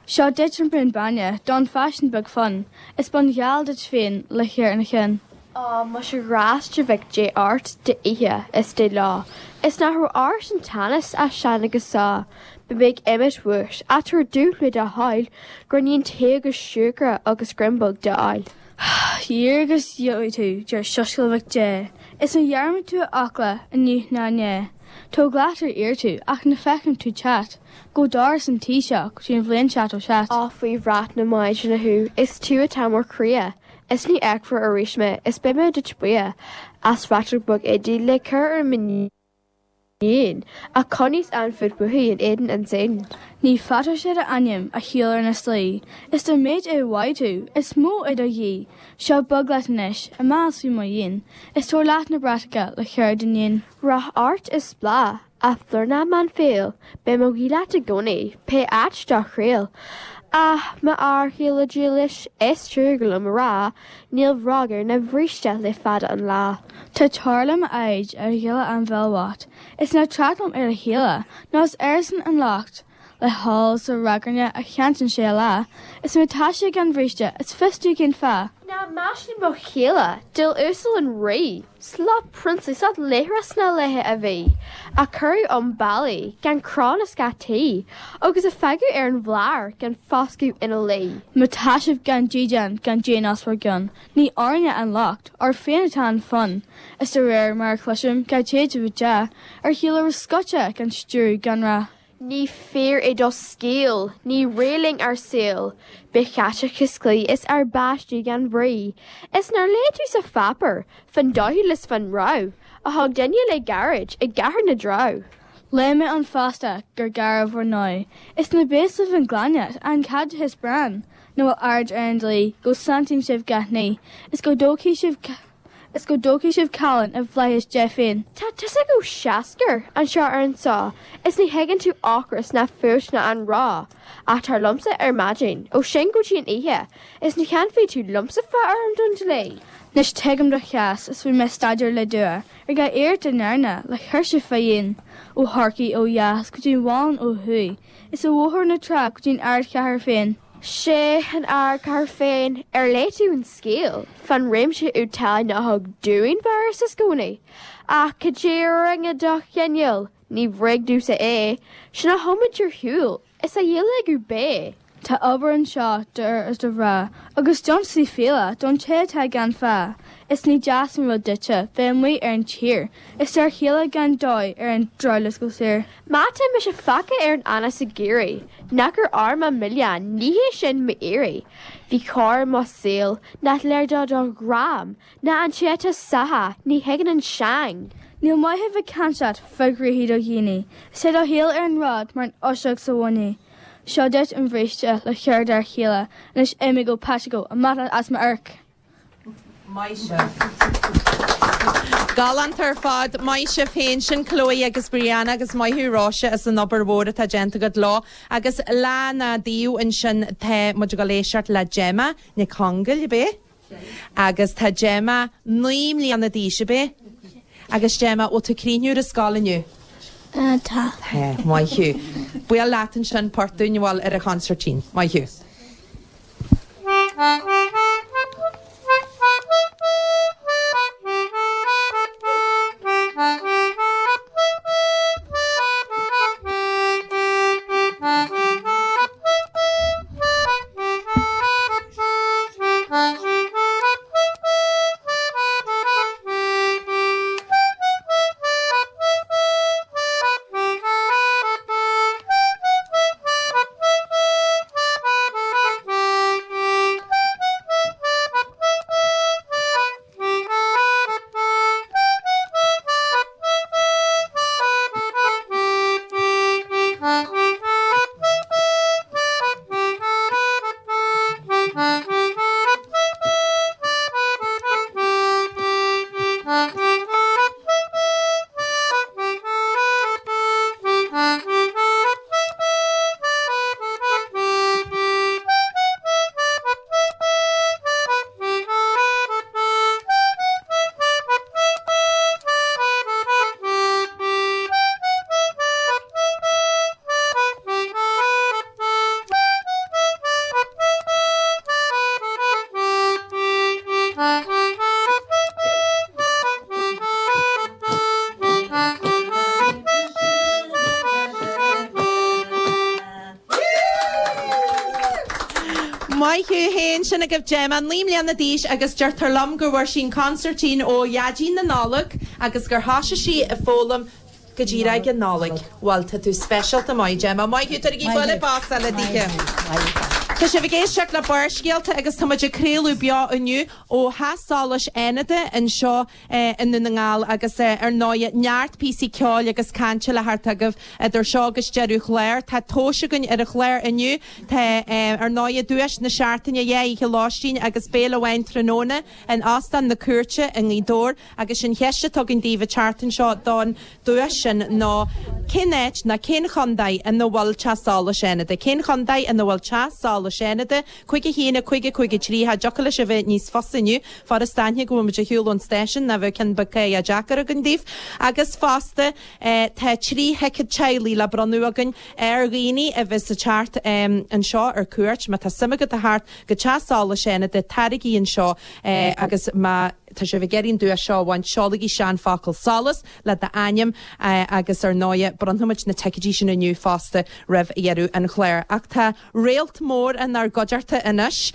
J: Seo duit an braon bainne don pháistín beag fionn, is bonn gheal duit féin le cur ina chionn.
I: Ó, muise grást de mhic Dé ort d'oíche is de lá, is nach raibh ort an teannas as sean agus sá, beidh mé ag imeacht uait, ach tabhair domh le do thoil gur ní an tae agus siúcra agus greim beag d'fháil.
J: Iarr agus gheobhaidh tú, deir soiscéal mhic Dé, is ná dhearmad tú a fhocla inniu ná inné. Tóg leat ar iarr tú, ach ná feicim tú teacht go doras an tí seo go dtí an bhliain seachtó seacht.
I: Á, faoi bhrat na Maighdine thú, is tú atá mo chroí, Is ní fheicfear arís mé, is beidh mé duit buíoch as raiteog beag éadaí le cur ar m'iníon, ach choinníos an fud uaithi in éadan an tsaoil.
J: Ní faightear sé d'ainm a shiúl ar na slí, is dá mhéid é a mhaígh tú, is mó é do dhíth. Seo bog leat anois, amach as faoi mo dhíon, is tabhair leat na bratacha le cur ar d'iníon.
I: Rath ort is bláth. A phlúr na mban fial, beidh mo ghuí leat i gcónaí, pé áit do thriall. Ach, m'fhear céile dílis, is trua liom a rá, níl bhróg air ná bríste le fada an lá.
J: Tá tar liom a fhoighid, a ghile an bhéil bhoicht, is ná trácht liom ar a chéile, nó is airsean an locht. Le hól 's le ragairne a chantann sé a lá, is má tá sé gan bhríste, is fios domh cén fáth.
I: Ná meaisín mo chéile, diabhal uasal an rí, Slat prionsla, slat laochra sna laethe a bhí, a cuireadh 'un bealaigh gan crann is geataí, agus a fágadh ar an bhlár gan foscadh ina luí.
J: Má tá sibh gan dídean, gan díon os bhur gcionn, ní orainne an locht, oraibh féin atá an fonn. Is de réir mar a chloisim, gach téid a bheith dea, ar shiúl a raibh scoite gan stiúradh gan rath.
I: Ní fíor é do scéal, ní réidh linn ár saol, Ba chaiteachas claí is ár bpáistí gan bhrí, Is nár léigh tú sa pháipéar fán doicheall is fán rabhadh A thug duine le gairid i gCathair na dTreabh?
J: Léigh mé ann fosta gur gairbh bhur ndóigh, Is ná béas libh an glaineacht, an caiteachas bréan, Nach bhfuil aird ar an dlí, go santaíonn sibh gach ní, Is go dtógfaidh sibh. Is go dtógfaidh sibh callán i bhflaithis Dé féin.
I: Tá tusa chomh seascair anseo ar an só is ní thuigeann tú ocras ná fuacht ná anró. Ach tar liomsa ar maidin, ó sin go dtí an oíche, is ní chanfaidh tú liomsa fá urraim don dlí.
J: Anois tuigim do chás is rinne mé staidéar le dua ar gach iarracht a ndearnadh le cur sibh fá dhéin, ó Chorcaigh ó dheas go dtí an Mhálainn ó thuaidh, is ó Bhóthar na Trá go dtí an ardchathair féin.
I: Sé an ardchathair féin, ar léigh tú an scéal fán réimse úd talaimh nach thug dúinn fearas is gcónaí? Ach cad é a rinne do chineál, ní bhréag domhsa é, sin a thiomáint ar shiúl is a dhíleagadh bé.
J: Tá obair anseo d'fhir is do mhná, agus deontaisí fiala don té atá gan phá. Is ní deas an rud duitse bheith amuigh ar an tír is d'fhear chéile gan dóigh ar an drabhlás go saor.
I: Má tá mise fágtha ar an anás i gCiarraí, nach ar ár mo mhilleán, ní hé sin m'iarraidh. Bhí cor i mo saol nach léir do do dhream, ná an té atá sáithe, ní thuigeann an seang.
J: Níl maith a bheith ag caint leat fá ghnoithí do dhaoine, is tá do shaol ar an ród mar an fhuiseog sa bhfáinne. Seo duit an bhríste le cur d'fhear chéile, anois imigh go Paiteagó, amach leat as m'amharc!
A: Maith sibh. Galánta ar fad maith sibh féin sin Chloe agus Brianna agus maith thú Róise as an obair mhór atá déanta agat leo agus lena dtaobh ansin tá muid ag éisteacht le Gemma Nic Congail ab é agus tá Gemma naoi mbliana d'aois ab é agus Gemma bhfuil tú críochnaithe ar an scoil inniu.
J: Uh, tá.
A: Tá maith thú. Buail leat ansin port dúinn bhfuil ar an chonsairtín. Maith thú. Maith thú féin sin agaibh Gemma naoi mbliana d'aois agus deirtear liom go bhfuair sí an consairtín ó Dhaidí na Nollag agus gur thosaigh sí ag foghlaim go díreach ag an Nollaig. Bhuel tá tú speisialta maith Gemma. Maith thú tabhair bualadh bos eile dithe. Tá sibh ag éisteacht le Barrscéalta agus tá muid ag craoladh beo inniu ó Theach Solais Fhánada anseo i nDún na nGall agus ar ndóigh neart píosaí ceoil agus cainte le theacht agaibh idir seo agus deireadh an chláir. Tá tomhas againn ar an chlár inniu Tá ar ndóigh duais na seachtaine dhá oíche lóistín agus béile amháin tráthnóna in Óstán na Cúirte i nGaoth Dobhair agus an cheist atá againn daoibh an tseachtain seo don duais sin ná cén áit ná cén chontae ina bhfuil Teach Solais Fhánada? Cén chontae ina bhfuil Teach Solais Fhánada? Cúig a haon, a cúig, a cúig a trí, Cha dtiocfadh leis a bheith níos fusa inniu, fad is d'aithne go bhfuil muid ar shiúl ón stáisiún ná bheadh ceann beag cáidhe deacair againn daoibh. Agus fosta tá trí thicéad teaghlaigh le bronnadh againn ar dhaoine a bheas ag teacht anseo ar cuairt. Má tá suim agat a theacht go Teach Solais Fhánada, taraigí anseo agus má tá sibh ag iarraidh an duais seo a bhaint, seolaigí isteach an focal solas le d'ainm agus ar ndóigh bronnfaimid na ticéidí sin inniu fosta roimh dheireadh an chláir. Ach tá réalt mór inár gcuideachta anois,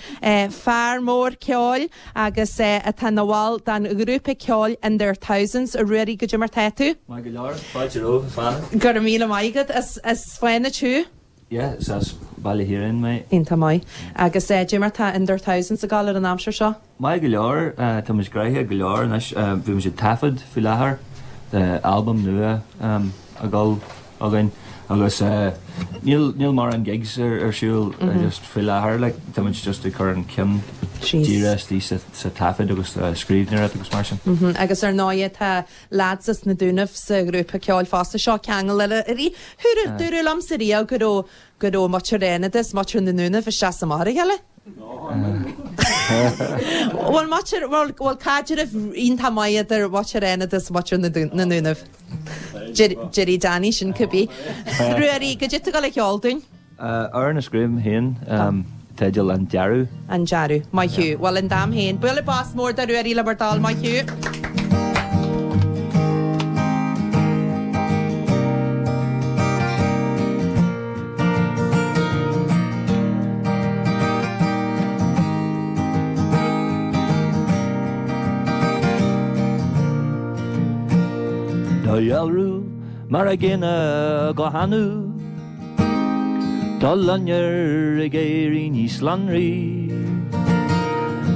A: fear mór ceoil agus atá ina bhall den ghrúpa ceoil In Their Thousands. A Ruairí, goidé mar tá tú?
K: Maith go leor, fáilte romhat, a Fánaid.
A: Go raibh míle maith agat, as Fánaid thú?
K: Yeah, is as Baile Chiaráin mé.
A: Iontach maith. Agus goidé mar tá In Their Thousands ag gabháil ar an aimsir seo?
K: Maith go leor, tá muid gnoitheach go leor anois. Bhí muid ag taifead faoi láthair, tá albam nua ag dul againn agus níl níl mórán gigs ar ar siúl just faoi láthair like tá muid just ag cur an ceann dírithe istigh sa sa taifead agus scríbhneoireacht agus mar sin.
A: Agus ar ndóigh tá lads as na Dúnaibh sa ghrúpa ceoil fosta. Seo ceangal eile uirthi. Dúradh dúradh liomsa riamh go raibh go raibh muintir Fhánada is muintir na nDúnaibh isteach is amach ar a chéile. Bhfuil muintir bhfuil bhfuil caidreamh iontach maith idir muintir Fhánada is muintir na na nDúnaibh. Déarfaidh Danny sin cibé. Ruairí, goidé tá tú ag gabháil a cheol dúinn.
K: Amhrán a scríobh mé féin, teideal An Dearadh.
A: An Dearadh. Maith thú. Bhuel, in d'am féin. Bualadh bos mór do Ruairí le bhur dtoil. Maith thú.
K: Do dhealramh mar a gcéanna go hannamh. Do loinnir ag éirí níos lonraí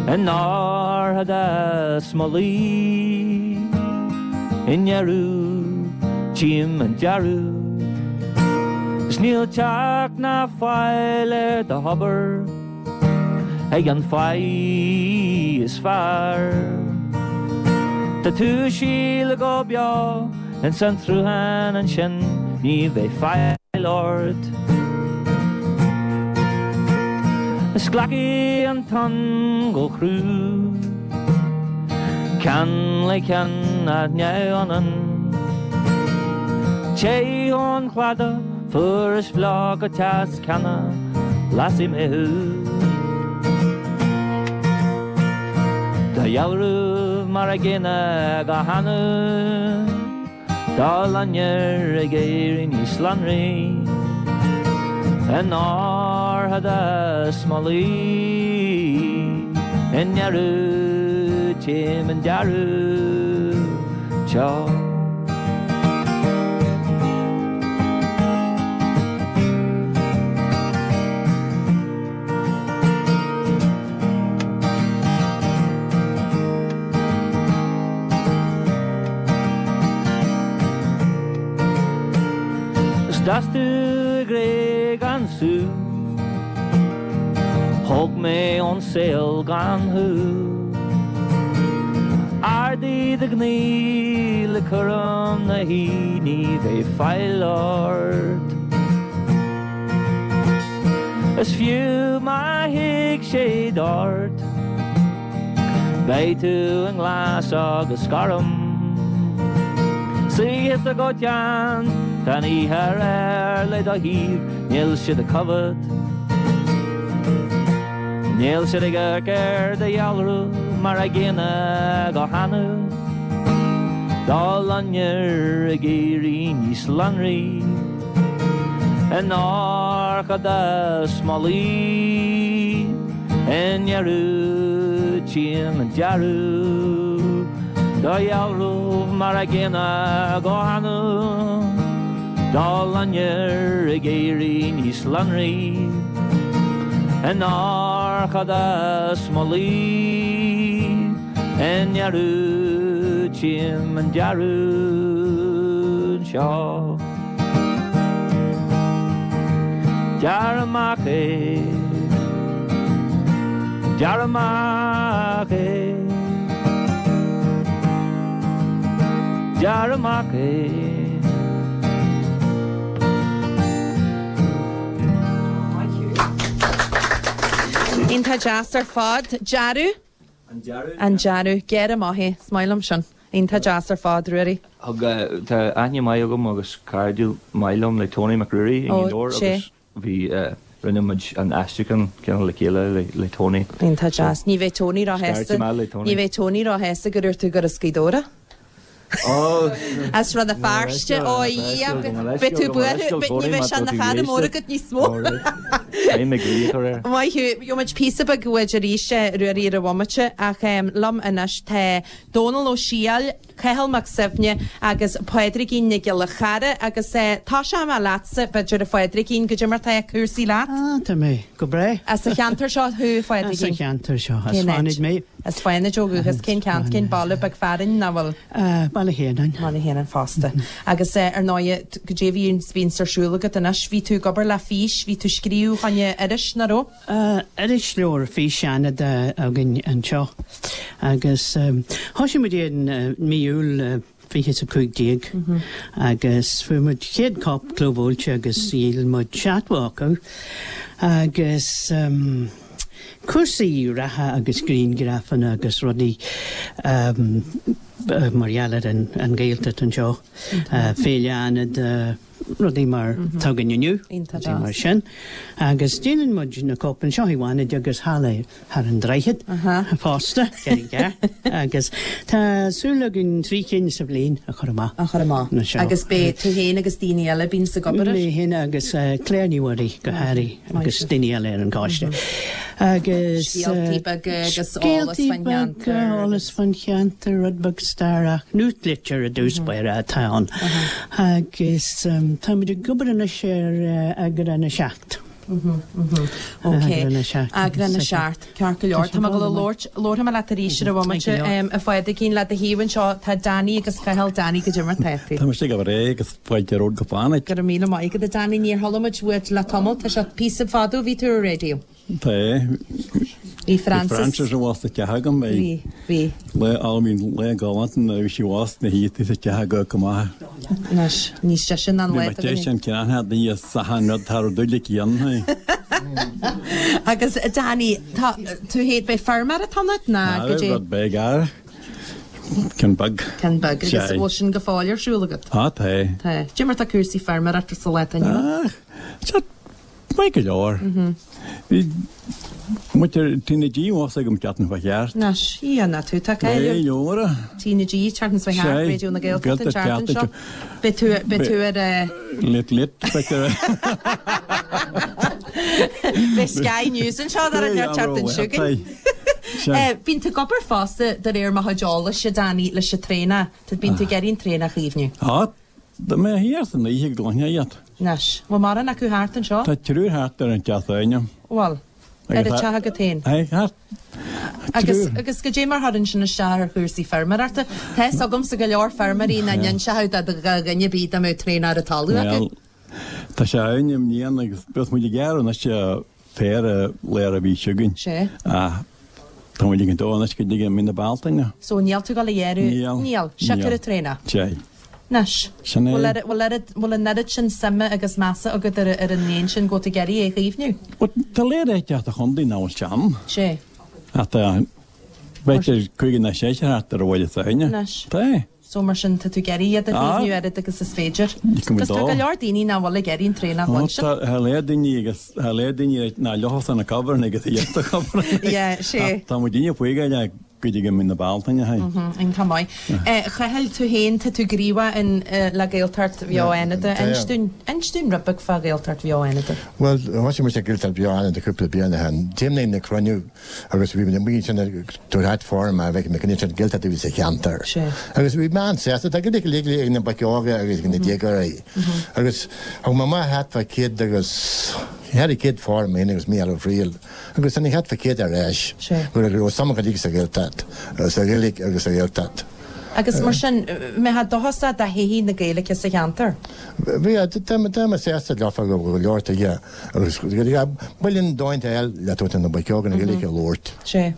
K: In airthead a smollaí I ndeireadh tchím an dearadh 'S níl teacht ná fáil ar do thobar Ag an fáidh is fearr. Tá tú ag sileadh go beo ins an tsruthán ansin ní bheidh faill ort. Is glacfaidh an tonn go crua Ceann le ceann ach neamhionann Téigh ón chladach fuar is fliuch go teas cheana lasfaidh mé thú. Do dhealramh mar a gcéanna go hannamh Do loinnir ag éirí níos lonraí In oirthead is malaí I ndeireadh tchím an dearadh teo. Is d'fhás tú i gcré gan sú Thóg mé ón saol gan thú Ardaigh do ghnaoi le cúram na hoíche ní bheidh faill ort Is fiú má thig sé ort Beidh tú i nglas agus gorm Suigh thusa go teann Tá an oíche aréir le do thaobh Níl siad ag coimhéad Níl siad ag amharc ar do dhealramh mar a gcéanna go hannamh Do loinnir ag éirí níos lonraí I ndorchadas malaí I ndeireadh tchím an dearadh Do dhealramh mar a gcéanna go hannamh Do loinnir ag éirí níos lonraí I ndorchadas malaí I ndeireadh tchím an dearadh seo Gearr amach é Gearr amach é Gearr amach é
A: Iontach deas ar fad. Dearadh?
K: An dearadh?
A: An dearadh. Gearr amach é. Is maith liom sin. Iontach deas ar fad, Ruairí.
K: Thug, tá aithne maith agam agus cairdiúil maith liom le Tony Mac Ruairí i
A: Ó,
K: nGaoth Dobhair
A: sé.
K: agus bhí, rinne muid an aistriúchán cineál le chéile le, le Tony.
A: Iontach deas. Ní bheidh Tony
K: Scairtfidh
A: róshásta.
K: mé le Tony.
A: Ní bheidh Tony róshásta go dúirt tú gur as Gaoth Dobhair é.
K: Ó,
A: As Rann na Feirste, ó a Dhia, beidh tú buartha, ní bheidh sé ina chara mór agat níos mó.
K: Beidh mé ag cur air.
A: Maith thú. Gheobhaidh muid píosa beag uait arís, Ruairí, ar an bhomaite, ach liom anois tá Dónal Ó Siadhail, Cathal Mac Suibhne agus Pádraigín Nic Giolla Chara agus tosóidh mé leatsa, b'fhéidir, a Phádraigín, goidé mar tá cúrsaí leat?
L: Ah, tá mé go breá.
A: As an cheantar seo thú, a Phádraigín?
L: As an cheantar seo, as
A: Cén áit?
L: Fánaid mé.
A: As Fánaid ó dhúchas. Cén ceantar, cén baile beag fearainn nach bhfuil?
L: Ah, Baile Thiarnáin.
A: Baile Thiarnáin fosta. Agus ar ndóighe, goidé a bhíonn, bhíonns ar siúl agat anois? Bhí tú ag obair le Fís, bhí tú ag scríobh fá choinne iris, nach raibh?
L: Irisleabhar Fís Fhánada againn anseo agus thosaigh muid é in mí Iúil fiche is a cúig déag agus fuair muid céad cóip clóbhuailte agus dhíol muid seachtó acu agus cúrsaí reatha agus grianghrafanna agus rudaí mar gheall ar an Ghaeltacht anseo, Féile Fhánada, rudaí mar atá againn inniu, rudaí mar sin. Agus déanann muid na cóipeanna seo i bhFánaid agus thall thar an droichead fosta, agus tá súil againn trí cinn sa bhliain a chur amach.
A: A chur amach. Agus beidh tú féin agus daoine eile a bíonns ag obair air?
L: Mé féin agus Claire Ní Mhuirí go háirithe agus daoine eile ar an gcoiste. Agus
A: Scéaltaí beaga agus eolas faoin
L: cheantar. Scéaltaí beaga, eolas faoin cheantar, rud beag staire ach nuachtlitir i dtús báire atá ann. Agus táimid ag obair anois ar eagrán a seacht.
A: Ok.
L: Eagrán a seacht.
A: Eagrán a seacht. Ceart go leor. Tá mé ag dul a labhairt, labharfaidh mé leat arís ar an bhomaite. A Phádraigín, le do thaobh anseo tá Danny agus Cathal. Danny, goidé mar tá tú?
M: Tá mise go breá agus fáilte romhat go Fánaid.
A: Go raibh míle maith agat, a Danny. Níor chuala muid uait le tamall. Tá sé píosa fada ó bhí tú ar an raidió.
M: Tá.
A: Bhí Frances.
M: Bhí Frances abhus sa teach agam.
A: Bhí, bhí.
M: Lá álainn, lá galánta nuair a bhí sí abhus na hoíche sa teach go go maith.
A: Anois, níos deise ná an lá
M: Bhí mé deis an ceann a dhíos achan rud thar dúil aici dhéanamh.
A: Agus Danny, tá tú féin, beidh feirmeoir atá ionat ná
M: Tá,
A: go dtí?
M: rud beag air. Ceann beag.
A: Ceann beag. Agus
M: Sea.
A: bhfuil sin go fóill ar siúl agat?
M: Á, tá.
A: Tá. Cad é mar tá cúrsaí feirmeoireachta sa lá atá inniu ann?
M: Ach, tá maith go leor. Bhí muintir Tí na G abhus agam teacht fá cheart.
A: Anois, ia ná tú, tá
M: Lé
A: cáil
M: leora.
A: Tí na G teacht fá cheart,
M: Sé,
A: Raidió na Gaeltachta an
M: Gaeltacht
A: tseachtain seo.
M: teacht
A: Beidh tú, beidh tú ar eh,
M: Lit lit, b'fhéidir.
A: Beidh Sky News anseo ar an tseachtain seo chugainn. Eh, Bíonn tú ag obair fosta de réir mo chuid eolais, a Danny, leis an traenach. Tá bíonn tú ag iarraidh an traenach a chaomhnú.
M: Á, tá mé thiar san oíche go gcluinfeá iad.
A: Anois, bhfuil mórán acu thart anseo?
M: Tá triúr thart ar an teach s'againne.
A: Bhuel, ar an teach agat féin.
M: Aye, thart.
A: Agus
M: Triúr.
A: agus goidé mar chuireann sin isteach ar chúrsaí feirmeoireachta. Tá fhios agamsa go leor feirmeoirí nach n-inseodh do dhuine ar bith dá mbeadh traenach ar an talamh acu.
M: Bhuel, tá sé ann i mbliana agus bheadh muid ag gearradh anois féar léir a bhí chugainn.
A: Sé.
M: Ach tá muid ag an dó anois go dtí mí na Bealtaine.
A: So níl tú ag dul a ghearradh?
M: Níl.
A: Níl. Siocair
M: Níl.
A: an traenach.
M: Sé.
A: Anois.
M: Sin é.
A: Bhfuil oiread- bhfuil oiread- bhfuil an oiread sin suime agus measa agat ar ar an éan sin go bhfuil tú ag iarraidh é a chaomhnú?
M: Bhuel, tá léir áite sa chontae nach bhfuil sé ann.
A: Sé.
M: Ach tá b'fhéidir cúig nó seisear thart ar an bhaile s'againne.
A: Anois.
M: Tá.
A: So mar sin tá tú ag iarraidh iad a
M: Ah.
A: chaomhnú oiread agus is féidir.
M: Ní
A: Agus tá
M: dó.
A: go leor daoine nach bhfuil ag iarraidh an traenach
M: Ó,
A: bhain sin.
M: Tá tá léir daoine agus tá léir daoine ná leofa na cover agus iad sa cover.
A: Yeah, sé.
M: Tá muid duine faoi le go dtí mí na Bealtaine hé.
A: Iontach maith. Chathail tú féin tá tú gníomhach in le Gaeltacht Bheo Fhánada.
N: Tá.
A: Inis dúinn inis dúinn rud beag fá Ghaeltacht Bheo Fhánada.
N: Bhuel, thosaigh muid ag Gaeltacht Bheo Fhánada cúpla bliain ó shin. Déanamh na cruinniú agus bhí na muid sin tabhairt form a bheith na cruinniú sin Gaeltacht a bhí sa cheantar.
A: Sé.
N: Agus bhí mé an-sásta, tá Gaeilge ag ag na boic óga agus ag na déagóirí. Agus thug mé amach thart fá céad agus ceithre chéad form féin agus Mícheál Ó Fríl. Agus tá thart fá céad ar ais.
A: Sé.
N: Go raibh suim acu sa Ghaeltacht, sa Ghaeilge agus sa Ghaeltacht.
A: Agus mar sin mé dóchasach do thodhchaí na Gaeilge sa cheantar.
N: Bhí tá mé sásta leofa go go leor tuige agus builin dóinte eil le tú na boic óga na Gaeilge a labhairt.
A: Sé.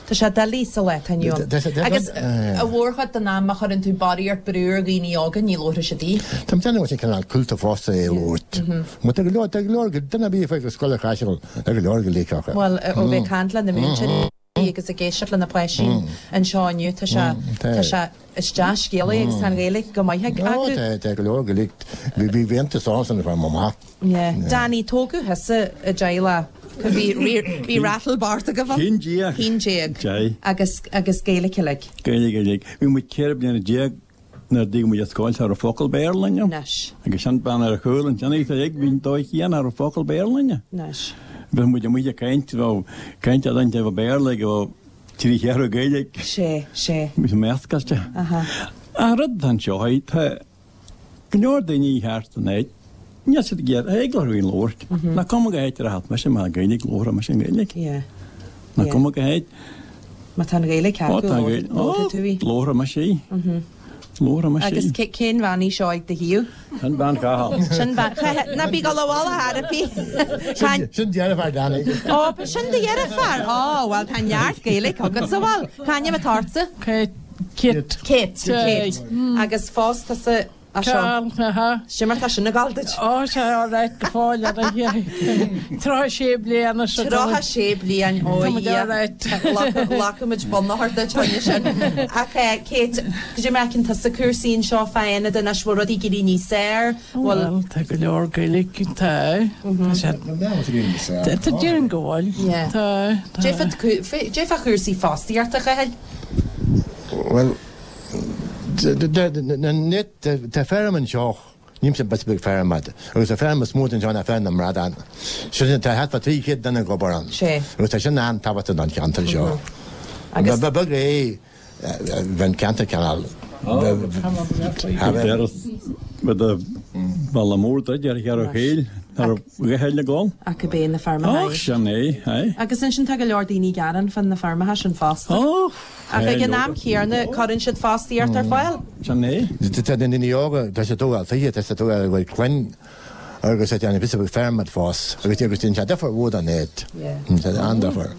A: Tá sé doiligh sa lá atá inniu ann.
N: Tá sé- tá-
A: Agus
N: eh.
A: a mhórchuid den am a chuireann tú barraíocht brú ar dhaoine óga ní labhróidh siad í.
N: Tá déanamh sin cineál cúlta fosta é labhairt. Má tá go leor tá go leor go duine bí fé go scoil chaiseal tá go leor Gaeilge acu.
A: Bhuel, ó bheith ag caint le na múinteoirí agus ag éisteacht le na páistí anseo inniu tá sé
N: tá.
A: tá sé is dea-scéalaí agus tá an Ghaeilge go maith ag
N: Ó,
A: acu.
N: tá tá go leor Gaeilge bhí bhí bhíontas ansan fá mamá.
A: Yeah. Danny tógadh thusa i dteaghlach bhí bhí rattle Bart agaibh ann?
M: Haon déag.
A: Haon déag.
M: Sé.
A: Agus agus Gaeilge uilig.
M: Gaeilge Gaeilge. Bhí muid ceithre bliana déag nuair a d'fhág muid an scoil cha raibh focal Béarla inniu.
A: Anois.
M: Agus sin bean ar a chúl an sin ag bhín dóigh chéan cha raibh focal Béarla inniu.
A: Anois.
M: Bhí muid amuigh ag caint bheadh caint a dhéanamh Béarla go trí cheathrú Gaeilge.
A: Sé, sé.
M: Bhí sé meascailte.
A: Aha.
M: An rud an seo tá go leor daoine thart an áit. Níl siad ag iarraidh eagla orthu labhairt. Nach cuma go háit ar a hat me sin mar Gaeilge labharfaidh mise an Ghaeilge.
A: Yeah.
M: Nach
A: Yeah.
M: cuma go háit.
A: Má tá an Ghaeilge
M: Ó,
A: acu
M: tá an Ghaeilge.
A: labharfaidh tú í.
M: Labharfaidh mise í. Labharfaidh mise
A: Agus
M: í.
A: cé- cén bhean í seo ag do thaobh?
M: Sin bean Chathail.
A: Sin bean Ná bí go bhfuil a therapy.
N: Sin deartháir Danny.
A: Ó, ba sin do dheartháir. Ó, bhuel tá neart Gaeilge agat sa bhfuil. Cá ainm atá ortsa?
O: Kate.
A: Kate.
O: Kate.
A: Kate. Agus fós tusa a seo.
O: Carl, aha.
A: Sin mar tá sin ag gabháil duit.
O: Ó, sé all right go fóill ar a Tríocha sé bliana seo.
A: Tríocha sé bliain ó
O: Tá muid all right.
A: Glacaimid bunachar duit choinne sin. Ach eh, Kate, goidé mar a fheiceann tusa cúrsaí anseo fá Fhánada anois bhfuil rudaí ag éirí níos fearr?
O: Bhuel, tá go leor Gaeilge tá. Tá sé. Tá déan go bhfuil.
A: Yeah.
O: Tá.
A: Cad é fá chúrsaí fostaíochta Chathail?
N: Well, net tá feirm anseo níl sé bes feirm agus a feirm is mó anseo ná feirm na mbradán. Sin tá thart fá trí chéad duine ag obair ann.
A: Sé.
N: Agus tá sin an-tábhachtach don cheantar seo.
A: Agus-
N: Ba beag é bheith ceantar cineál.
M: Bhalla mór de ar chear chéil ar ghéile gáil.
A: Ach go bé na feirmeacha.
M: Ach sin é, é.
A: Agus ansin tá go leor daoine ag gearán fan na feirmeacha sin fosta. Ach ag an am céanna cuireann siad fostaíocht ar fáil.
M: Sin é.
N: Tá na daoine óga tá sé tógáil fiche tá sé tógáil bhfuil clainn agus tá an bis feirm fós agus agus sin sé difear mhór an éad. Tá an-difear.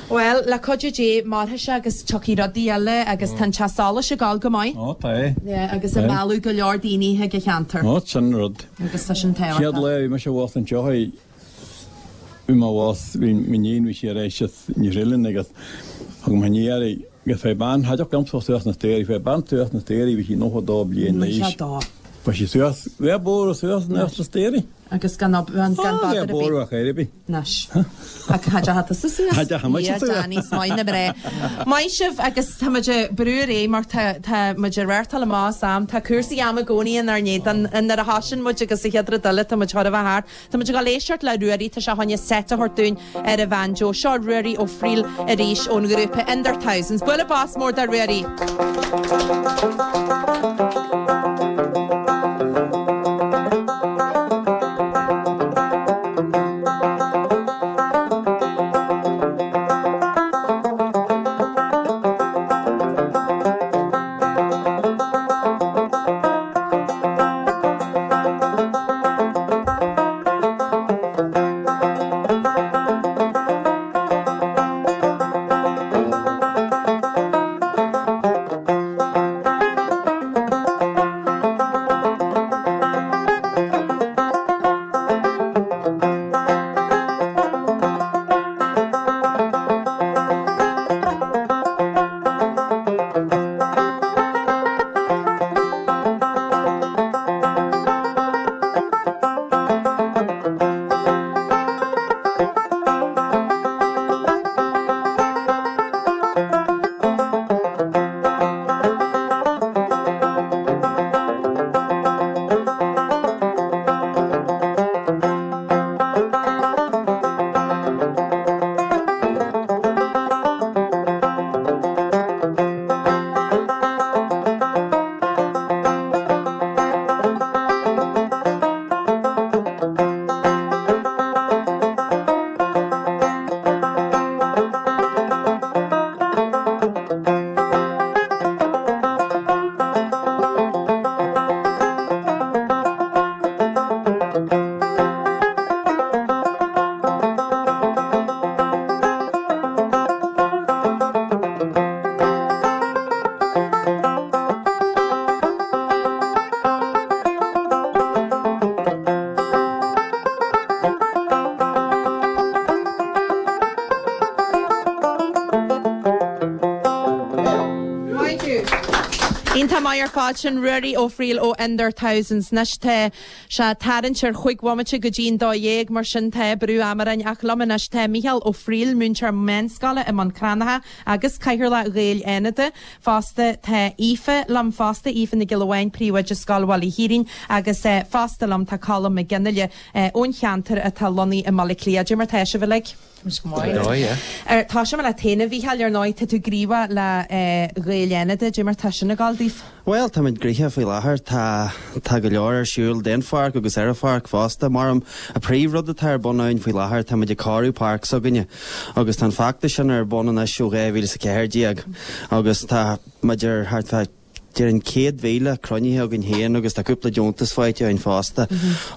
A: Bhuel, le cuidiú Dé, mairfidh sé agus tiocfaidh rudaí eile agus tá an teach solais ag gabháil go maith.
M: Ó, tá é.
A: Yeah, agus ag mealladh go leor daoine chuig an cheantar.
M: Ó, sin rud.
A: Agus tá sin tábhachtach.
M: Chéad lá a bhí mise abhus anseo, bhí mé abhus, bhí m'iníon, bhí sí ar éis ní thriail agus thug mé aniar í agus bhí bean, cha dtiocfadh liomsa suas na staighrí, bhí bean suas na staighrí, bhí sí nócha dó bliain d'aois.
A: Nócha dó.
M: Bhí sí suas, bhí bodhar suas na staighrí.
A: Agus gan gan
M: bother ar bith. Bóthar ar bith.
A: Anois. Ach cha dteachaigh tusa suas.
M: Cha dteachaigh mise suas.
A: Danny, is maith na mná. Maith sibh agus tá muid ag brú ar aghaidh mar tá tá muid ag reáchtáil amach as am. Tá cúrsaí ama i gcónaí inár n-éadan nuair a thosaíonn muid agus an chéad rud eile tá muid chóir a bheith thart. Tá muid ag dul éisteacht le Ruairí, tá sé chun seit a thabhairt dúinn ar an bhanjo. Seo Ruairí Ó Frighil arís ón ghrúpa In Their Thousands. Bualadh bos mór do Ruairí. Iontach maith ar fad sin Ruairí Ó Frighil ó In Their Thousands. Anois tá sé ag tarraingt ar chúig bhomaite go dtí'n dó dhéag mar sin tá brú ama orainn ach liom anois tá Mícheál Ó Frighil, múinteoir meánscoile i mBun Cranncha agus Cathaoirleach Ghaeil Fhánada. Fosta tá Aoife liom fosta, Aoife Nic Giolla Bháin, Príomhoide Scoil Bhaile Thiaráin agus fosta liom tá Colm Mac Fhionnghaile ón cheantar atá lonnaithe i mBaile Átha Cliath. Cad é mar tá sibh uilig? Tosóidh mé leat féin a Mhícheáil, ar ndóigh, tá tú gníomhach le Gaeil Fhánada, cad é mar tá sin ag gabháil daoibh.
P: Bhuel, táimid gnoitheach faoi láthair. Tá tá go leor ar siúl den pháirc agus ar an pháirc fosta. Mar an príomhrud atá ar bun ann faoi láthair, táimid ag cóiriú páirc s'againne agus tá an feachtas sin ar bun anois ó dhá mhíle is a ceathair déag agus tá muid ar thart fá déarfainn céad mhíle cruinnithe againn féin agus tá cúpla deontas faighte againn fosta.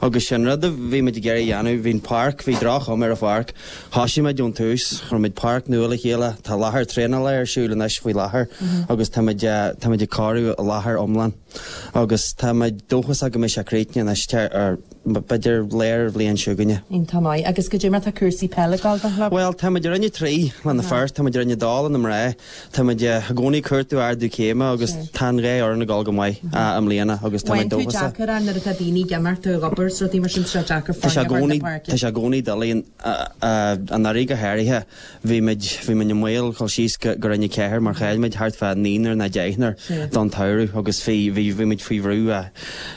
P: Agus sin rud a bhí muid ag iarraidh a dhéanamh, bhí an páirc, bhí droch-chuma ar an pháirc, thosaigh muid ón tús, chuir muid páirc nua le chéile, tá láthair traenála ar siúl anois faoi láthair agus tá muid, tá muid ag cóiriú an láthair iomlán agus tá muid dóchasach go mbeidh sé críochnaithe anois ar, b'fhéidir lár an bhliain seo chugainne.
A: Iontach maith. Agus cad é mar tá cúrsaí peile ag gabháil don chlub?
P: Bhuel, tá muid i Roinn a trí le na fir, tá muid i Roinn a dó le na mná, tá muid i gcónaí ag cuartú ardú céime agus tá an dhá fhoireann ag dul go maith i mbliana agus tá muid
A: Bhain tú
P: dóchasach.
A: deacair é nuair atá daoine ag imeacht ag obair is rudaí mar sin, tá sé deacair
P: Tá sé i
A: foirne a chur
P: gcónaí,
A: na páirce.
P: tá sé i gcónaí doiligh anuraidh go háirithe. Bhí muid, bhí muid i mbaol dul síos go, go Roinn a ceathair mar chaill muid thart fá naonúr nó deichniúr don tsamhradh agus bhí, bhí, bhí muid faoi bhrú.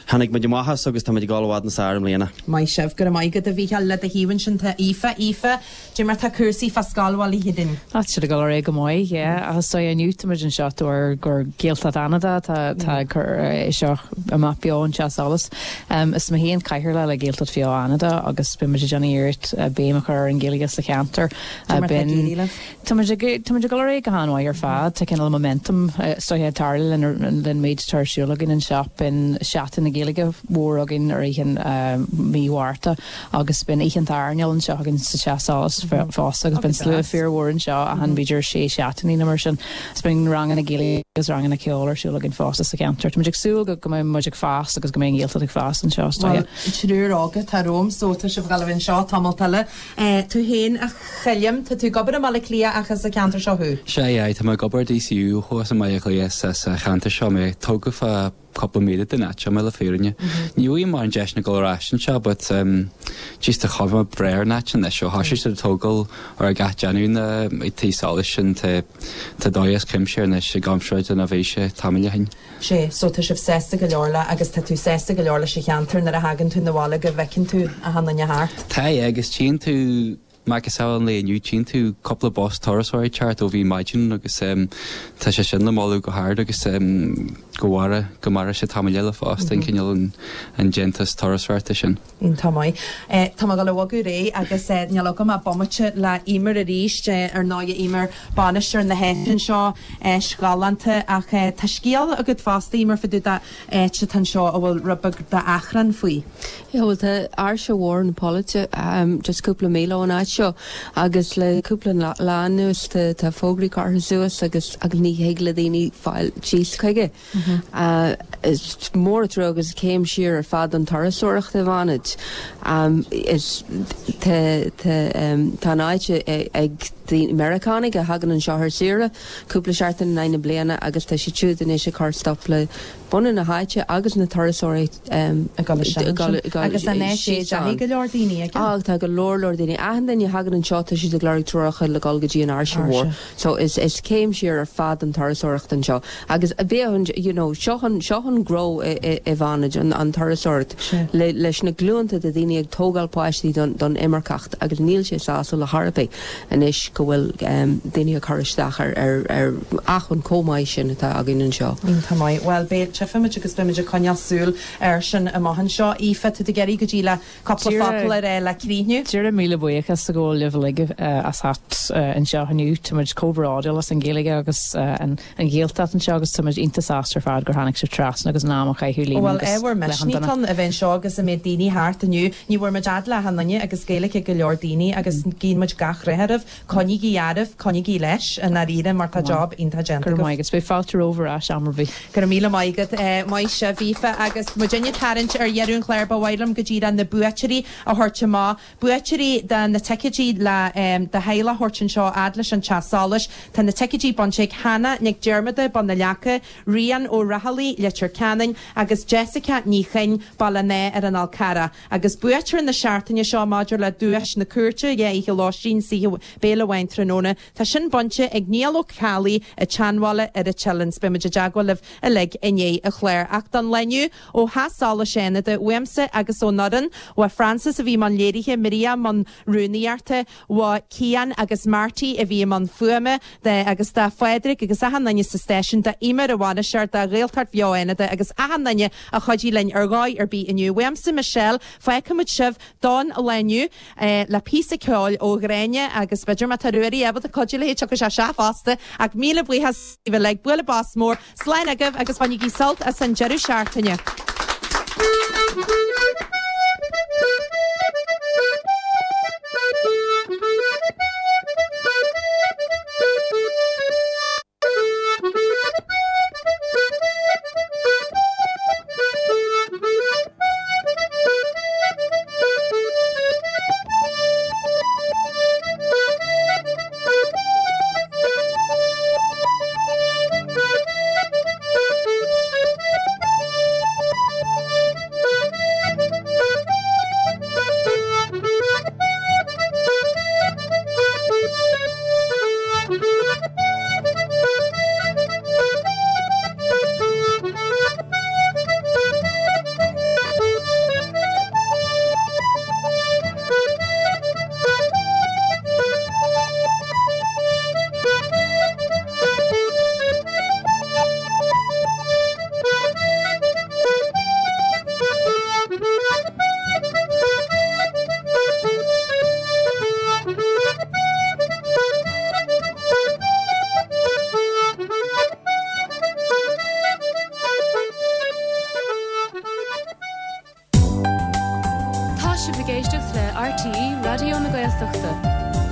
P: Tháinig muid amach as agus tá muid ag dul i bhfad níos fearr i mbliana.
A: Maith sibh, go raibh maith agat a Mhícheáil. Le do thaobh ansin tá Aoife. Aoife, cad é mar tá cúrsaí fá Scoil Bhaile Thiaráin.
Q: Tá siad ag dul ar aghaidh go maith, yeah. Agus so inniu tá muid anseo de bharr gur Gaeltacht Fhánada tá tá ag cur é seo amach beo ón Teach Solais. Um, is mé féin cathaoirleach le Gaeltacht Bheo Fhánada agus bíonn muid ag déanamh iarracht béim a chur ar an Ghaeilge sa cheantar.
A: Cad é mar tá ag éirí libh?
Q: Tá muid ag tá muid ag dul ar aghaidh go han-mhaith ar fad. Tá cineál momentum so ag tarlú lena lena méid atá ar siúl againn anseo. Bíonn Seachtain na Gaeilge mhór againn ar oíche mí Mhárta agus bíonn oíche airneáil anseo againn sa teach solais fosta agus bíonn slua fíormhór anseo achan b'fhéidir sé seachtainí nó mar sin. Is bíonn ranganna Gaeilge agus ranganna ceoil ar siúl againn fosta sa cheantar. Tá muid ag súil go go mbeidh muid ag fás agus go mbeidh an Ghaeltacht ag fás anseo is dóigh.
A: Bhuel, triúr óga atá romham so tá sibh ag dul a bheith anseo tamall eile. Tú féin a Choilm, tá tú ag obair i mBaile Átha Cliath ach as an ceantar seo thú?
R: Sea, aye, tá mé ag obair DCU thuas i mBaile Átha Cliath sa sa cheantar seo mé tógtha fá cúpla míle den áit seo mé le fírinne. Ní bhfuil mar an deis na dul ar ais anseo, but um, just tá chuma breá ar an áit anois ó thosaigh siad ag tógáil ar a gach déanamh na ag tí solais sin tá tá dóigh as cuimse anois i gcomparáid lena bhí sé tamall ó shin.
A: Sé, so tá sibh sásta go leor le agus tá tú sásta go leor leis an cheantar nuair a thagann tú 'na bhaile go bhfeiceann tú achan duine thart.
R: Tá agus tchíonn tú macasamhail an lae inniu tchíonn tú cúpla bus turasóirí teacht ó bhí maidin agus um, tá sé sin le moladh go hard agus um, go mhaire go maire sé tamall eile fosta an cineál an, an déantas turasóireachta sin.
A: Tá maith. Eh, Tá mé ag dul a bhogadh réidh agus eh, níl agam ach bomaite le Emer arís eh, ar ndóigh Emer bainisteoir na háite anseo eh, galánta ach eh, tá scéal agat fosta Emer fá dtaobh d'áit atá anseo a bhfuil rud beag d'achrann faoi.
B: Yeah, well tá Áirse Mhór na Pollaite um, just cúpla míle ón áit seo agus le cúpla lá lá anuas tá tá fógraí curtha suas agus agus ní thig le daoine fáil síos chuige. Uh, is mór trua agus céim siar ar fad an turasóireacht i bhFánaid. Um, is tá tá um, tá an áit ag daoine Meiriceánaigh a thagann anseo ar saoire, cúpla seachtain in aghaidh na bliana agus tá siad siúd anois ag cur stop le bunú na háite agus na turasóirí um,
A: Agus an é sé deithí go leor daoine aige?
B: Á tá go leor leor daoine achan duine a thagann anseo tá siad ag lorg treoracha le dul go dtí an Áirse Mhór. So is is céim siar ar fad an turasóireacht anseo. Agus a bheith an you know, seo an seo an gnó i i i bhFánaid an, an turasóireacht le leis na glúnta de daoine ag tógáil páistí don, don imirceacht agus níl sé sásúil le harabí anois go bhfuil um, daoine ag cur isteach ar ar ar acmhainn chomh maith sin atá againn anseo.
A: Tá maith. Well beidh tchífimid agus beimid ag coinneáil súil ar sin amach anseo. Aoife tú ag iarraidh go dtí le cúpla focal ar le críochnú.
Q: Díreach míle buíochas a ghabháil libh uilig as theacht anseo inniu Táimid chomh bródúil as an Ghaeilge agus an an Ghaeltacht anseo agus táimid iontach sásta ar fad gur tháinig sibh trasna agus an am a chaitheamh linn
A: Well
Q: agus
A: éhar
Q: le an duine.
A: misní a bheith anseo agus a mbeidh daoine thart inniu, ní bhfuair muid fhad le achan duine agus Gaeilge go leor daoine agus guíonn muid gach rath oraibh, coinnígí oraibh, coinnígí leis an airíre mar tá job iontach déanta.
Q: Gur maith agus beidh fáilte romhaibh ar ais am ar bith.
A: Go raibh míle maith agat maith sibh Aoife agus muid ag tarraingt ar dheireadh an chláir ba mhaith liom go dtí na buaiteoirí a thabhairt amach. Buaiteoirí de na ticéidí le um, do theaghlach a thabhairt anseo fhad leis an teach solais, Tá na ticéidí bainte ag Hannah Nic Diarmada Bun na Leaca, Rian ó Rathailí Leitir Ceanainn agus Jessica Ní Chinn Baile an Átha ar an Fhál Carrach. Agus buaiteoir na seachtaine seo maidir le duais na cúirte dhe oíche lóistín saoithe béile amháin tráthnóna, Tá sin bainte ag Niall Ó Ceallaigh i Teanmhála ar an Teileann, beimid i dteagmháil libh uilig i ndiaidh an chláir ach don lá inniu ó Theach Solais Fhánada uaimse agus ón fhoireann, Bha Francis a bhí i mbun léirithe Maria i mbun rúnaíochta, Bha Cian agus Marty a bhí i mbun fuaime de agus do Phádraig agus achan duine sa stáisiún do Emer a bhainisteoir do Ghaeltacht Bheo Fhánada agus achan duine a chuidigh linn ar dhóigh ar bith inniu. Uaimse Michelle fágfaimid sibh don lá inniu eh, le píosa ceoil ó Ghráinne agus b'fhéidir má tá Ruairí ábalta cuidiú léi tiocfaidh sé sé fosta ach míle buíochas le bualadh bos mór slán agaibh agus bainigí sult as an deireadh seachtaine.
S: Thank you.
C: Tá sibh ag éisteacht le RTÉ Raidió na Gaeltachta.